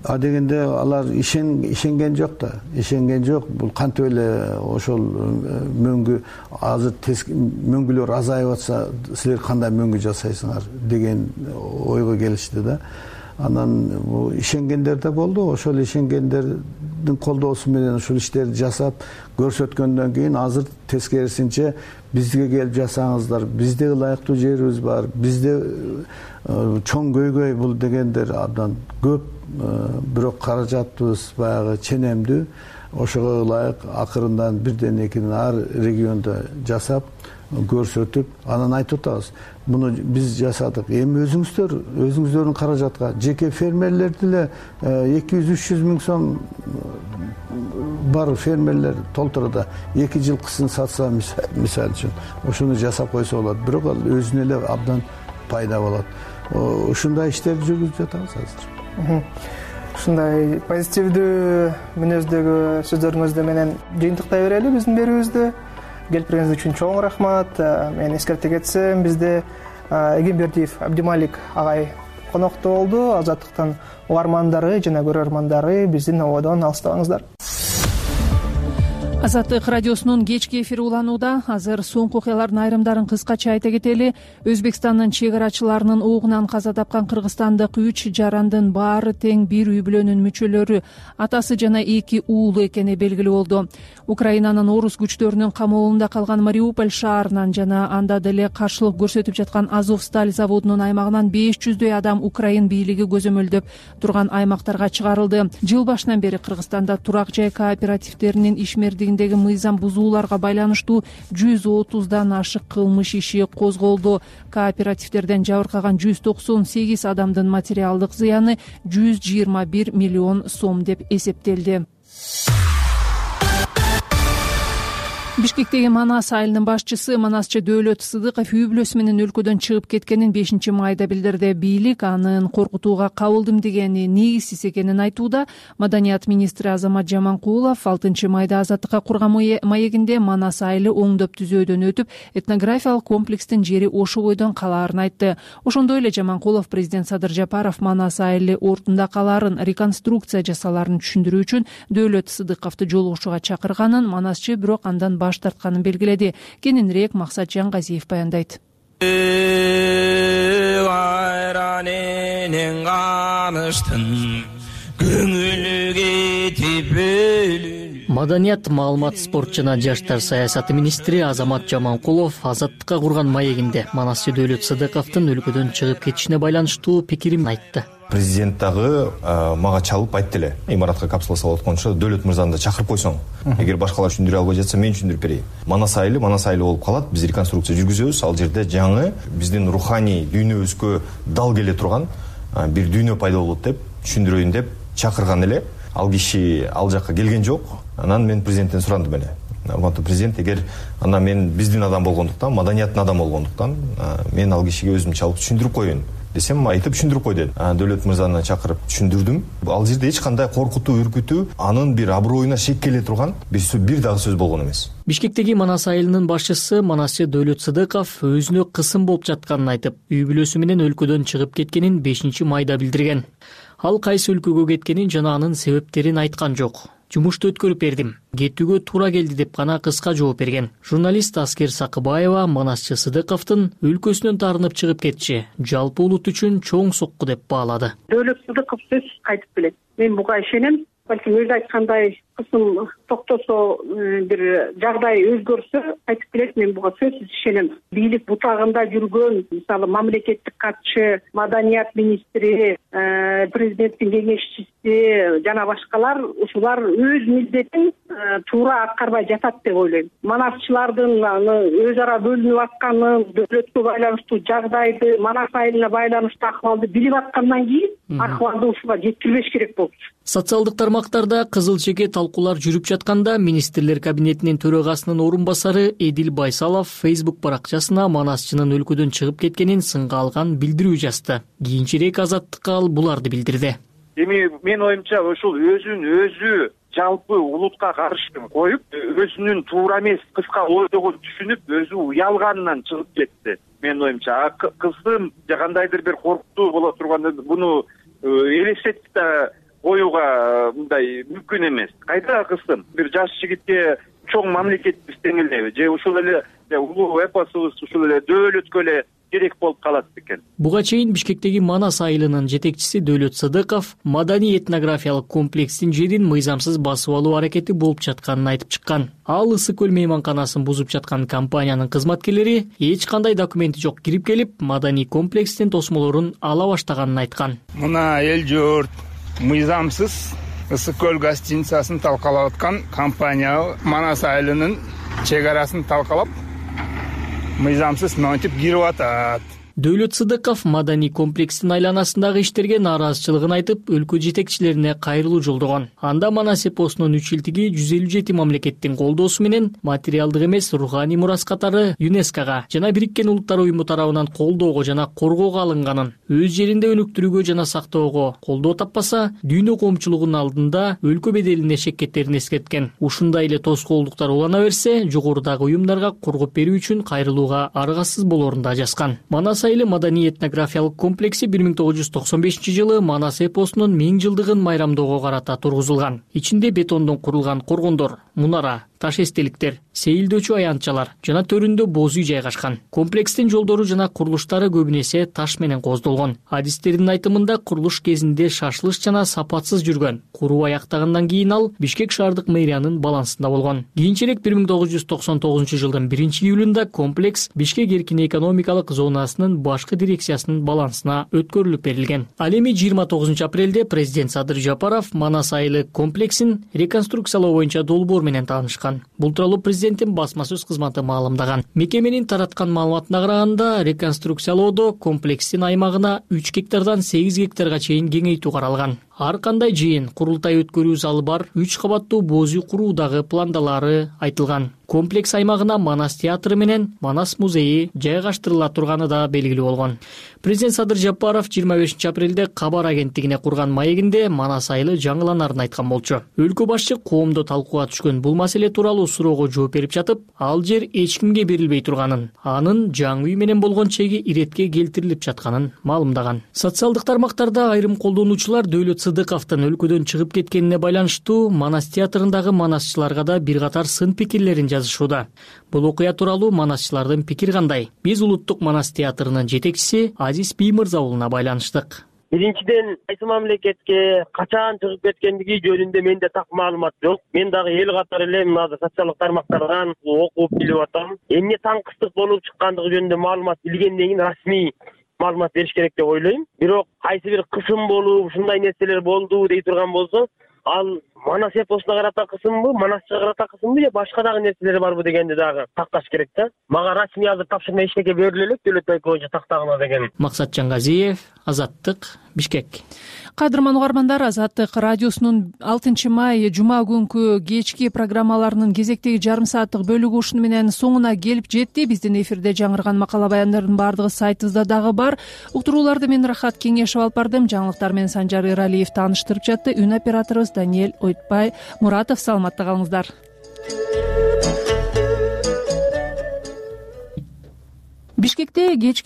Адегенде алар ишенген жок да. Ишенген жок. Бул кантип эле ошол мөңгү азыр мөңгүлөр азайып атса, силер кандай мөңгү жасайсыңар деген ойго келишти да. Анан ишенгендер да болду. Ошол ишенгендердин колдоосу менен ушул иштерди жасап көрсөткөндөн кийин азыр тескерисинче бизге келип жасаңыздар, бизде ылайыктуу жерибиз бар, бизде чоң көйгөй бул дегендер абдан көп. Бирок каражатыбыз баягы ченемдүү. Ошого ылайык акырындан бирден экиден ар региондо жасап көрсөтүп, анан айтып атабыз. Муну биз жасадык. Эми өзүңүздөрдүн каражатка жеке фермерлер деле 200-300 миң сом бар фермерлер толтурда 2 жылкысын сатса мисалы үчүн, ошону жасап койсо болот. Бирок ал өзүнө эле абдан пайда болот. Ушундай иштерди жүргүзүп жатабыз азыр. Ушундай позитивдүү мүнөздөгү сөздөрүңүз менен жыйынтыктай берели биздин берүүбүздү. Келип бергениңиз үчүн чоң рахмат. Мен эскерте кетсем, бизде Эгембердиев Абдималик агай конокто болду. Азаттыктын угармандары жана көрөрмандары биздин ободон алыстабаңыздар. Азаттык радиосунун кечки эфири уланууда. Азыр соңку окуялардын айрымдарын кыскача айта кетели. Өзбекстандын чек арачыларынын оогунан каза тапкан кыргызстандык 3 жарандын баары тең бир үй бүлөнүн мүчөлөрү, атасы жана 2 уулу экени белгилүү болду. Украинанын орус күчтөрүнүн камоолунда калган Мариуполь шаарынан жана анда деле каршылык көрсөтүп жаткан Азовсталь заводунун аймагынан 500дөй адам Украин бийлиги көзөмөлдөп турган аймактарга чыгарылды. Жыл башынан бери Кыргызстанда турак жай кооперативдеринин ишмердигиндеги мыйзам бузууларга байланыштуу 130дан ашык кылмыш иши козголду. Кооперативдерден жабыркаган 198 адамдын материалдык зыяны 121 миллион сом деп эсептелди. Бишкектеги Манас айылынын башчысы Манасчы Дөөлөт Сыдыков үй бүлөсү менен өлкөдөн чыгып кеткенин 5-майда билдирди. Бийлик анын коркутууга кабылдым дегени негизсиз экенин айтууда. Маданият министри Азамат Жаманкулов 6-майда Азаттыкка курган маегинде Манас айылы оңдоп түзөөдөн өтүп, этнографиялык комплекстин жери ошо бойдон калаарын айтты. Ошондой эле Жаманкулов президент Садыр Жапаров Манас айылы ортунда калаарын реконструкция жасалаарын түшүндүрүү үчүн Дөөлөт Сыдыковду жолугушууга чакырганын, Манасчы бирок андан баш тартканын белгиледи. Кененирээк Максат Жаңгазиев баяндайт. Маданият, маалымат, спорт жана жаштар саясаты министри Азамат Жаманкулов Азаттыкка курган маегинде Манасчы Дөөлөт Сыдыковдун өлкөдөн чыгып кетишине байланыштуу пикирин айтты. Президент дагы мага чалып айтты эле, имаратка капсула салып атканча Дөөлөт мырзаны да чакырып койсоң, эгер башкалар түшүндүрө албай жатса мен түшүндүрүп берейин. Манас айылы болуп калат, биз реконструкция жүргүзөбүз, ал жерде жаңы биздин руханий дүйнөбүзгө дал келе турган бир дүйнө пайда болот деп түшүндүрөйүн деп чакырган эле. Ал киши ал жакка келген жок. Анан мен президенттен сурандым эле. Урматтуу президент, эгер мен биздин адам болгондуктан, маданияттын адамы болгондуктан, мен ал кишиге өзүм чалып түшүндүрүп коеюн десем, айтып түшүндүрүп кой деди. Дөөлөт мырзаны чакырып түшүндүрдүм. Ал жерде эч кандай коркутуу, үркүтүү, анын бир аброюна шек келе турган бир дагы сөз болгон эмес. Бишкектеги Манас айылынын башчысы Манасчы Дөөлөт Сыдыков өзүнө кысым болуп жатканын айтып, үй бүлөсү менен өлкөдөн чыгып кеткенин 5-майда билдирген. Ал кайсы өлкөгө кеткенин жана анын себептерин айткан жок. Жумушту өткөрүп бердим, кетүүгө туура келди деп гана кыска жооп берген. Журналист Аскер Сакыбаева Манасчы Сыдыковдун өлкөсүнөн таарынып чыгып кетиши жалпы улут үчүн чоң сокку деп баалады. Дөөлөт Сыдыков сөз айтып келет. Мен буга ишенем. Балким өзү айткандай кысым токтосо, бир жагдай өзгөрсө айтып келет. Мен буга сөзсүз ишенем. Бийлик бутагында жүргөн, мисалы мамлекеттик катчы, маданият министри, президенттин кеңешчиси жана башкалар ушулар өз милдетин туура аткарбай жатат деп ойлойм. Манасчылардын өз ара бөлүнүп атканын, дөөлөткө байланыштуу жагдайды, Манас айылына байланыштуу акыбалды билип аткандан кийин акыбалды ушуга жеткирбеш керек болчу. Социалдык тармактарда кызыл чеке талкуулар жүрүп жатканда министрлер кабинетинин төрагасынын орун басары Эдил Байсалов Facebook баракчасына Манасчынын өлкөдөн чыгып кеткенин сынга алган билдирүү жазды. Кийинчерээк Азаттыкка ал буларды билдирди. Эми мен оюмча ушул өзүн өзү жалпы улутка каршы коюп, өзүнүн туура эмес кыска ойдогун түшүнүп, өзү уялганынан чыгып кетти. Мен оюмча кыздын кандайдыр бир коркутуу боло турганда буну элестетип да коюуга мындай мүмкүн эмес. Кайда кыздын бир жаш жигитке чоң мамлекетибиз тең эле же ушул эле улуу эпосубуз ушул эле дөөлөткө эле керек болуп калат экен. Буга чейин Бишкектеги Манас айылынын жетекчиси Дөөлөт Сыдыков маданий этнографиялык комплекстин жерин мыйзамсыз басып алуу аракети болуп жатканын айтып чыккан. Ал Ысык көл мейманканасын бузуп жаткан компаниянын кызматкерлери эч кандай документи жок кирип келип, маданий комплекстин тосмолорун ала баштаганын айткан. Мына эл журт мыйзамсыз Ысык көл гостиницасын талкалап аткан компания Манас айылынын чек арасын талкалап мыйзамсыз монтип кирип атат. Дөөлөт Сыдыков маданий комплекстин айланасындагы иштерге нааразычылыгын айтып, өлкө жетекчилерине кайрылуу жолдогон. Анда Манас эпосунун 3 жылдыгы 157 мамлекеттин колдоосу менен материалдык эмес руханий мурас катары ЮНЕСКОга жана Бириккен Улуттар уюму тарабынан колдоого жана коргоого алынганын, өз жеринде өнүктүрүүгө жана сактоого колдоо таппаса, дүйнө коомчулугунун алдында өлкө беделине шеккеттерин эскерткен. Ушундай эле тоскоолдуктар улана берсе, жогорудагы уюмдарга коргоп берүү үчүн кайрылууга аргасыз болоорун да жазган. Манас айылы маданий этнографиялык комплекси 1995-жылы Манас эпосунун 1000 жылдыгын майрамдоого карата тургузулган. Ичинде бетондон курулган коргондор, мунара, таш эстеликтер, сейилдөөчү аянтчалар жана төрүндө боз үй жайгашкан. Комплекстин жолдору жана курулуштары көбүн эсе таш менен коздолгон. Адистердин айтымында курулуш кезинде шашылыш жана сапатсыз жүргөн. Куруу аяктагандан кийин ал Бишкек шаардык мэриянын балансында болгон. Кийинчерээк 1999-жылдын 1-июлунда комплекс Бишкек эркин экономикалык зонасынын башкы дирекциясынын балансына өткөрүлүп берилген. Ал эми 29-апрелде президент Садыр Жапаров Манас айылы комплексин реконструкциялоо боюнча долбоор менен таанышкан. Бул тууралуу президенттин басма сөз кызматы маалымдаган. Мекеменин тараткан маалыматына караганда, реконструкциялоодо комплекстин аймагына 3 гектардан 8 гектарга чейин кеңейтүү каралган. Ар кандай жыйын, курултай өткөрүү залы бар 3 кабаттуу боз үй куруу дагы пландалары айтылган. Комплекс аймагына Манас театры менен Манас музейи жайгаштырыла турганы да белгилүү болгон. Президент Садыр Жапаров 25 апрелде Кабар агенттигине курган маегинде Манас айылы жаңыланарын айткан болчу. Өлкө башчы коомдо талкууга түшкөн бул маселе тууралуу суроого жооп берип жатып, ал жер эч кимге берилбей турганын, анын жаңы үй менен болгон чеги иретке келтирилип жатканын маалымдаган. Социалдык тармактарда айрым колдонуучулар Дөөлөт Сыдыковдун өлкөдөн чыгып кеткенине байланыштуу Манас театрындагы манасчыларга да бир катар сын пикирлерин жазышууда. Бул окуя тууралуу манасчылардын пикири кандай? Биз Улуттук Манас театрынын жетекчиси Азиз Бий мырза уулуна байланыштык. Биринчиден кайсы мамлекетке качан чыгып кеткендиги жөнүндө менде так маалымат жок. Мен дагы эл катары эле мына социалдык тармактардан окуп билип атам. Эмне таңкыстык болуп чыккандыгы жөнүндө маалымат билгенден кийин расмий маалымат бериш керек деп ойлойм. Бирок кайсы бир кысым болуп, ушундай нерселер болду дей турган болсо, ал Манас эпосуна карата кысымбы, Манасчыга карата кысымбы же башка дагы нерселер барбы дегенди дагы такташ керек да. Мага расмий азыр тапшырма эчтеке бериле элек Дөөлөт байке боюнча тактагыла деген. Максат Жангазиев, Азаттык, Бишкек. Кадырман угармандар, Азаттык радиосунун 6 май жума күнкү кечки программаларынын кезектеги жарым сааттык бөлүгү ушуну менен соңуна келип жетти. Биздин эфирде жаңырган макала баяндардын баардыгы сайтыбызда дагы бар. Уктурууларды мен Рахат Кеңешев алып бардым. Жаңылыктар менен Санжар Эралиев тааныштырып жатты. Үн операторубуз Даниэль Ойтбай Муратов. Саламатта калыңыздар. Бишкекте кечки